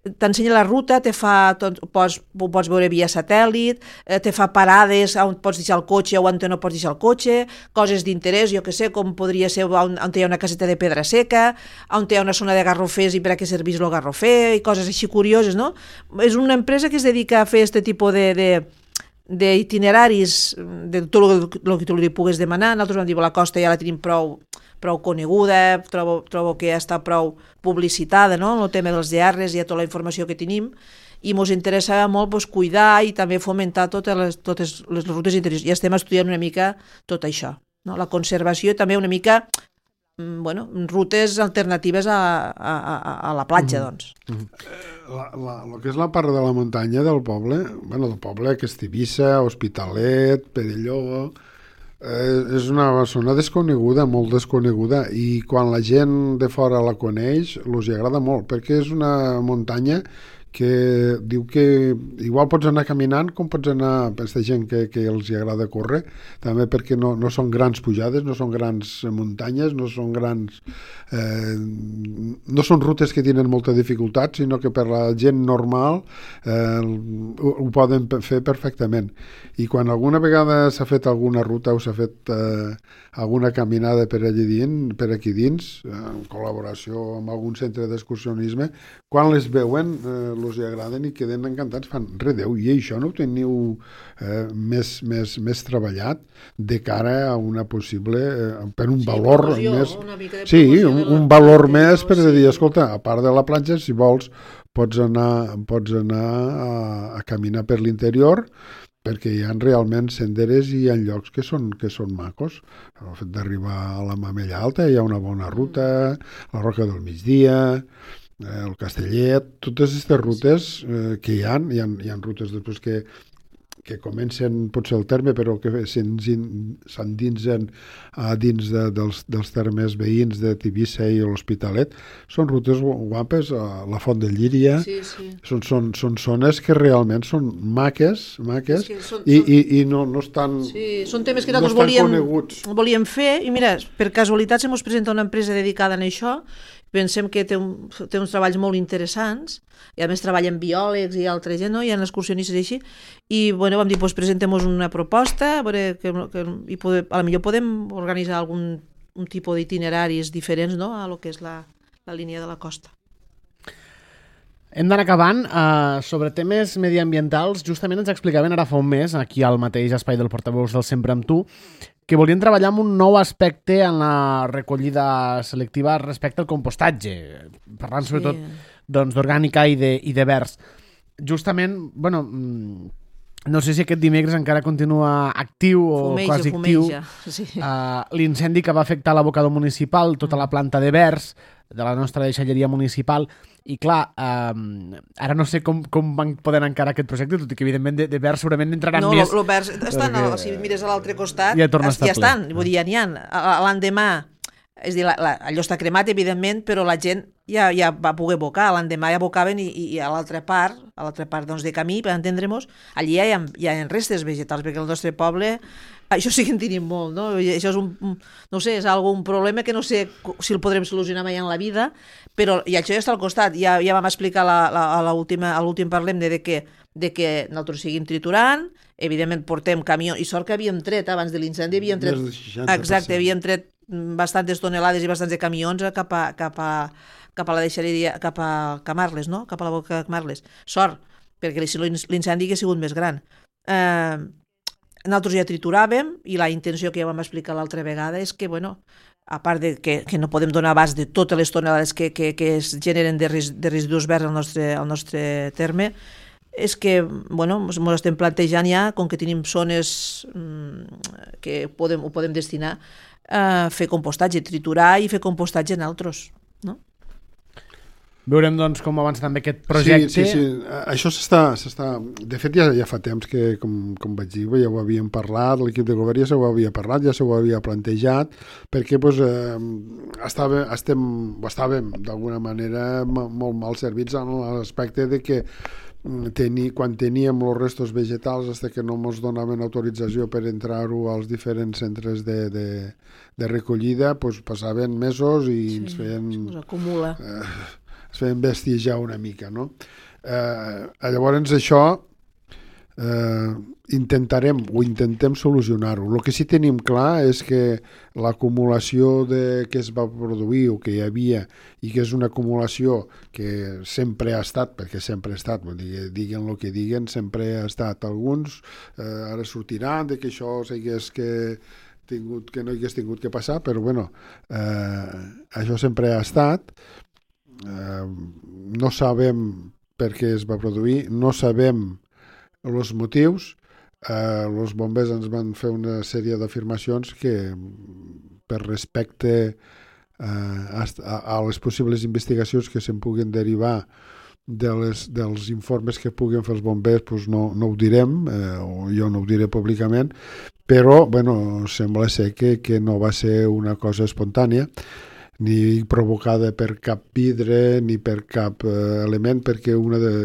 Speaker 2: t'ensenya la ruta, te fa, tot, pots, ho pots veure via satèl·lit, eh, te fa parades on pots deixar el cotxe o on no pots deixar el cotxe, coses d'interès, jo que sé, com podria ser on, on hi ha una caseta de pedra seca, on hi ha una zona de garrofers i per a què servís el garrofer, i coses així curioses, no? És una empresa que es dedica a fer aquest tipus de... de d'itineraris, de tot el, el que tu li pugues demanar. Nosaltres vam dir, la costa ja la tenim prou, prou coneguda, trobo, trobo que ja està prou publicitada, no?, en el tema dels D Rs i tota la informació que tenim, i ens interessava molt pues, cuidar i també fomentar totes les, totes les rutes interiors. I estem estudiant una mica tot això, no? La conservació i també una mica bueno, rutes alternatives a, a, a, a la platja, mm-hmm. doncs.
Speaker 3: Mm-hmm. La, la, el que és la part de la muntanya del poble, bueno, del poble, que és Tivissa, Hospitalet, Perelló, eh, és una zona desconeguda, molt desconeguda, i quan la gent de fora la coneix, els agrada molt, perquè és una muntanya que diu que igual pots anar caminant com pots anar, aquesta gent que, que els hi agrada córrer, també perquè no, no són grans pujades, no són grans muntanyes, no són grans eh, no són rutes que tenen molta dificultat, sinó que per la gent normal eh, ho, ho poden fer perfectament. I quan alguna vegada s'ha fet alguna ruta o s'ha fet eh, alguna caminada per allí dins, per aquí dins, eh, en col·laboració amb algun centre d'excursionisme, quan les veuen eh, els hi agraden i queden encantats, fan, redeu, i això no ho teniu eh, més, més, més treballat de cara a una possible, eh, per un
Speaker 2: sí,
Speaker 3: valor
Speaker 2: promoció,
Speaker 3: més...
Speaker 2: una mica de
Speaker 3: Sí, un,
Speaker 2: la,
Speaker 3: un valor més per
Speaker 2: sí.
Speaker 3: dir, escolta, a part de la platja, si vols, pots anar, pots anar a, a caminar per l'interior, perquè hi ha realment senderes i hi ha llocs que són, que són macos. El fet d'arribar a la Mamella Alta hi ha una bona ruta, la Roca del Migdia, eh, el Castellet, totes aquestes rutes eh, que hi ha, hi ha, hi ha rutes després que que comencen potser el terme però que s'endinsen a dins de, dels, dels termes veïns de Tivissa i l'Hospitalet, són rutes guapes, a la Font de Llíria,
Speaker 2: sí, sí.
Speaker 3: Són, són, són zones que realment són maques, maques
Speaker 2: és són,
Speaker 3: i,
Speaker 2: són...
Speaker 3: i, i no, no estan
Speaker 2: sí, són temes que
Speaker 3: no
Speaker 2: nosaltres volíem,
Speaker 3: coneguts.
Speaker 2: volíem fer i mira, per casualitat se mos presenta una empresa dedicada a això, pensem que té, un, té uns treballs molt interessants i a més treballen biòlegs i altra gent, no? Hi ha excursionistes i així, i bueno, vam dir, doncs presentem-nos una proposta, a veure que, que i poder, a la millor podem organitzar algun un tipus d'itineraris diferents, no?, a lo que és la, la línia de la costa.
Speaker 1: Hem d'anar acabant. Uh, sobre temes mediambientals, justament ens explicaven ara fa un mes, aquí al mateix espai del portaveus del Sempre amb tu, que volien treballar amb un nou aspecte en la recollida selectiva respecte al compostatge, parlant sobretot
Speaker 2: Sí.
Speaker 1: doncs, d'orgànica i de, i de verds. Justament, bueno, no sé si aquest dimecres encara continua actiu o
Speaker 2: fumeja,
Speaker 1: quasi
Speaker 2: fumeja.
Speaker 1: actiu,
Speaker 2: Sí.
Speaker 1: uh, l'incendi que va afectar l'abocador municipal, tota la planta de verds de la nostra deixalleria municipal, i clar, um, ara no sé com, com van poder encara aquest projecte, tot i que evidentment de, de verds segurament entraran
Speaker 2: no,
Speaker 1: més.
Speaker 2: No, el verds estan,
Speaker 1: perquè...
Speaker 2: si mires a l'altre costat,
Speaker 1: ja, torna a estar
Speaker 2: ja estan, vull dir, ja n'hi ha. L'endemà, és dir, la, la, allò està cremat, evidentment, però la gent ja, ja va poder abocar, l'endemà ja abocaven i, i, i a l'altra part, a l'altra part doncs, de camí, per entendre-nos, allí ja hi ha, hi ha restes vegetals, perquè el nostre poble, això sí que en tenim molt, no? I això és un, no sé, és algun problema que no sé si el podrem solucionar mai en la vida, però i això ja està al costat, ja, ja vam explicar la, la, a l'últim parlem de, de, que, de que nosaltres seguim triturant, evidentment portem camió, i sort que havíem tret, abans de l'incendi havíem tret, exacte, havíem tret bastantes tonelades i bastants de camions cap a, cap a, cap a la deixalleria, cap a Camarles, no? Cap a la boca de Camarles. Sort, perquè si l'incendi hagués sigut més gran. Eh, nosaltres ja trituràvem i la intenció que ja vam explicar l'altra vegada és que, bueno, a part de que, que no podem donar abast de totes les tonelades que, que, que es generen de, res, de residus verds al nostre, al nostre terme, és que, bueno, ens estem plantejant ja, com que tenim zones mmm, que podem, ho podem destinar a fer compostatge, triturar i fer compostatge en altres, no?
Speaker 1: Veurem, doncs, com avança també aquest projecte.
Speaker 3: Sí, sí, sí. Això s'està... s'està... De fet, ja, ja fa temps que, com, com vaig dir, ja ho havíem parlat, l'equip de govern ja se ho havia parlat, ja se ho havia plantejat, perquè doncs, eh, estava, estem, estàvem d'alguna manera molt mal servits en l'aspecte de que tenir, quan teníem els restos vegetals hasta que no ens donaven autorització per entrar-ho als diferents centres de, de, de recollida, doncs passaven mesos i sí, ens feien...
Speaker 2: es acumula.
Speaker 3: Eh, es feien bestijar una mica, no? Eh, llavors això eh, intentarem o intentem solucionar-ho. El que sí tenim clar és que l'acumulació de, que es va produir o que hi havia i que és una acumulació que sempre ha estat, perquè sempre ha estat, diguen el que diguen, sempre ha estat. Alguns eh, ara sortiran de que això s'hagués que tingut, que no hagués tingut que passar, però bueno, eh, això sempre ha estat. Uh, no sabem per què es va produir, no sabem els motius. Uh, els bombers ens van fer una sèrie d'afirmacions que per respecte uh, a, a les possibles investigacions que se'n puguin derivar de les, dels informes que puguin fer els bombers, doncs no, no ho direm, eh, o jo no ho diré públicament, però bueno, sembla ser que, que no va ser una cosa espontània. ni provocada per cap vidre ni per cap eh, element, perquè una de...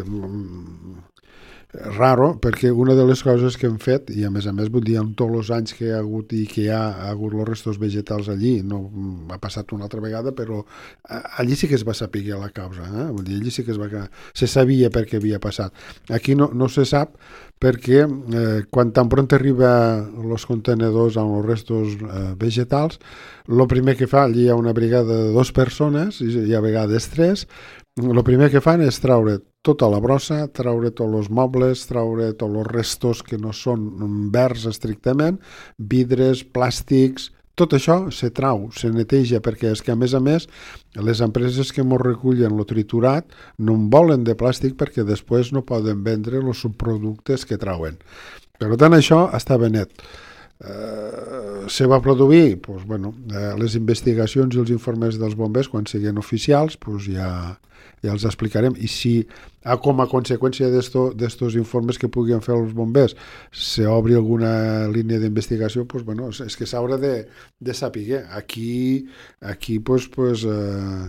Speaker 3: raro, perquè una de les coses que hem fet, i a més a més vull dir, en tots els anys que hi ha hagut i que hi ha, ha hagut els restos vegetals allí, no ha passat una altra vegada, però allí sí que es va saber la causa, eh? Vull dir, allí sí que es va... se sabia per què havia passat. Aquí no, no se sap perquè eh, quan tan pront arriba els contenedors amb els restos eh, vegetals, el primer que fa, allí hi ha una brigada de dues persones, i a vegades tres, el primer que fan és traure tota la brossa, traure tots els mobles, traure tots els restos que no són verds estrictament, vidres, plàstics, tot això se trau, se neteja, perquè és que a més a més les empreses que ens recullen el triturat no en volen de plàstic perquè després no poden vendre els subproductes que trauen. Per tant, això estava net. Eh, se va produir pues, bueno, eh, les investigacions i els informes dels bombers quan siguin oficials pues, ja, ja els explicarem, i si ah, com a conseqüència d'estos informes que puguin fer els bombers se obri alguna línia d'investigació, pues, bueno, és que s'haurà de, de saber. Aquí, aquí pues, pues, eh,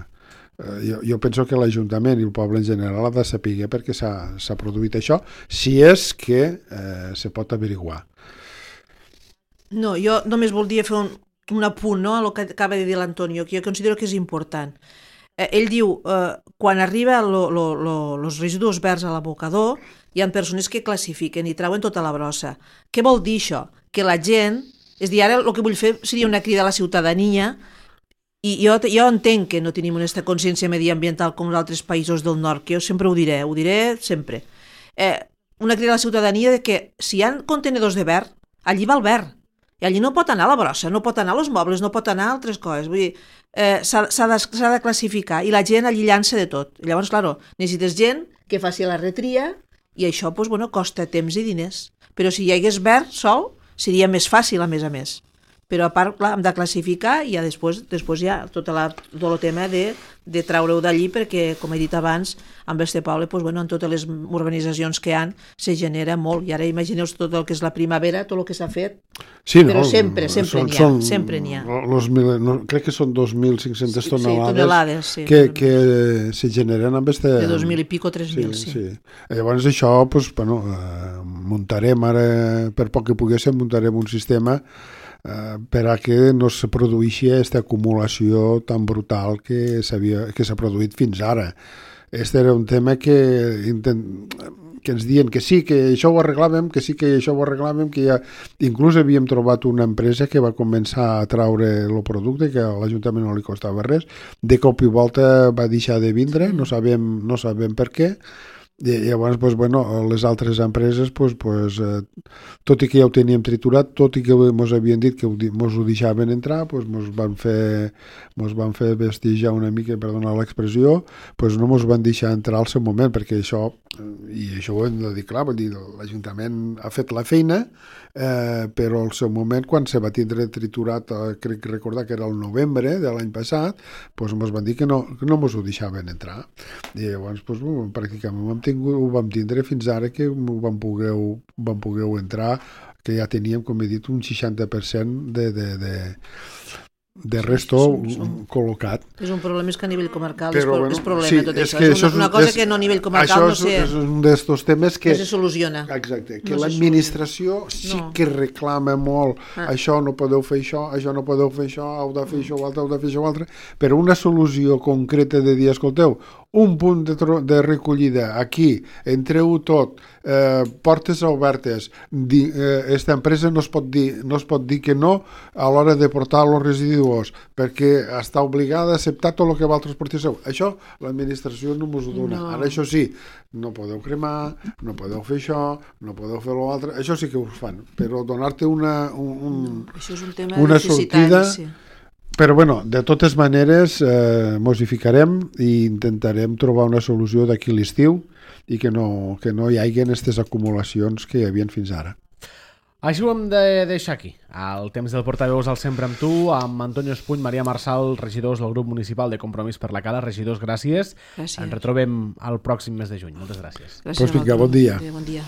Speaker 3: jo, jo penso que l'Ajuntament i el poble en general ha de saber perquè s'ha produït això, si és que eh, se pot averiguar.
Speaker 2: No, jo només voldria fer un, un apunt, no?, a el que acaba de dir l'Antonio, que jo considero que és important. Eh, ell diu, eh, quan arriba els residus verds a l'abocador, hi ha persones que classifiquen i trauen tota la brossa. Què vol dir això? Que la gent, és dir, ara el que vull fer seria una crida a la ciutadania, i jo, jo entenc que no tenim aquesta consciència mediambiental com els altres països del nord, que jo sempre ho diré, ho diré sempre. Eh, una crida a la ciutadania de que si hi ha contenedors de verd, allí va el verd. I allí no pot anar la brossa, no pot anar els mobles, no pot anar altres coses. Vull dir, eh, s'ha de, de classificar i la gent allí llança de tot. I llavors, clar, necessites gent que faci la retria i això pues, bueno, costa temps i diners. Però si hi hagués verd sol, seria més fàcil, a més a més. Però a part, clar, hem de classificar i ja després, després ja tot, la, tot el tema de, de treure-ho d'allí perquè, com he dit abans, amb este poble, pues, bueno, en totes les urbanitzacions que hi ha, se genera molt. I ara imagineu tot el que és la primavera, tot el que s'ha fet,
Speaker 3: sí,
Speaker 2: però
Speaker 3: no,
Speaker 2: sempre, sempre n'hi ha.
Speaker 3: Són,
Speaker 2: sempre n'hi ha.
Speaker 3: Los mil, no, crec que són dos mil cinc-centes
Speaker 2: sí,
Speaker 3: tonelades,
Speaker 2: sí, tonelades sí,
Speaker 3: que, que se generen amb este...
Speaker 2: De dos mil i pico, tres mil, sí.
Speaker 3: sí. sí. Llavors això, pues, bueno, eh, muntarem ara, per poc que poguéssim, muntarem un sistema Uh, per a que no se produeixi aquesta acumulació tan brutal que s'ha produït fins ara. Este era un tema que, intent, que ens diuen que sí, que això ho arreglàvem, que sí, que això ho arreglàvem, que ja... Inclús havíem trobat una empresa que va començar a traure el producte, que a l'Ajuntament no li costava res, de cop i volta va deixar de vindre, no sabem, no sabem per què. I llavors, pues, bueno, les altres empreses, pues, pues, eh, tot i que ja ho teníem triturat, tot i que ens havien dit que ens ho deixaven entrar, pues, ens van fer, ens van fer vestigiar una mica, perdona l'expressió, pues, no ens van deixar entrar al seu moment, perquè això, i això ho hem de dir clar, vull dir, l'Ajuntament ha fet la feina, eh, però al seu moment, quan se va tindre triturat, eh, crec recordar que era el novembre de l'any passat, pues, ens van dir que no, que no ens ho deixaven entrar. I llavors, pues, pràcticament vam tingut, ho vam tindre fins ara que ho vam poder, vam poder entrar, que ja teníem, com he dit, un seixanta per cent de, de, de, de resto sí, sí, sí. col·locat.
Speaker 2: És un problema és que a nivell comarcal
Speaker 3: però,
Speaker 2: és,
Speaker 3: bueno,
Speaker 2: és problema
Speaker 3: sí,
Speaker 2: tot
Speaker 3: és
Speaker 2: això.
Speaker 3: Que
Speaker 2: és
Speaker 3: això
Speaker 2: una, una cosa
Speaker 3: és,
Speaker 2: que no a nivell comarcal no sé...
Speaker 3: Això és un d'estos temes que...
Speaker 2: No se soluciona.
Speaker 3: Exacte, que
Speaker 2: no
Speaker 3: l'administració sí no. que reclama molt ah. això no podeu fer això, això no podeu fer això, heu de fer això, heu de fer això, altre, però una solució concreta de dir, escolteu, un punt de, de recollida aquí, entreu tot, eh, portes obertes, di, eh, esta empresa no es, pot dir, no es pot dir que no a l'hora de portar els residus perquè està obligada a acceptar tot el que vosaltres porteu. Això l'administració no us ho dona. No. Ara això sí, no podeu cremar, no podeu fer això, no podeu fer l'altre, això sí que us fan, però donar-te una, un, un,
Speaker 2: no, això és un tema
Speaker 3: una sortida...
Speaker 2: Sí.
Speaker 3: Però, bueno, de totes maneres, eh, mos hi ficarem i intentarem trobar una solució d'aquí l'estiu i que no, que no hi hagi aquestes acumulacions que hi havia fins ara.
Speaker 1: Així ho hem de deixar aquí. El temps del portaveus al Sempre amb tu, amb Antonio Espuny, Maria Marçal, regidors del grup municipal de Compromís per la Cala. Regidors, gràcies.
Speaker 2: gràcies.
Speaker 1: Ens retrobem el pròxim mes de juny. Moltes gràcies.
Speaker 2: Gràcies.
Speaker 3: Pues vinga, bon dia.
Speaker 2: Bon dia.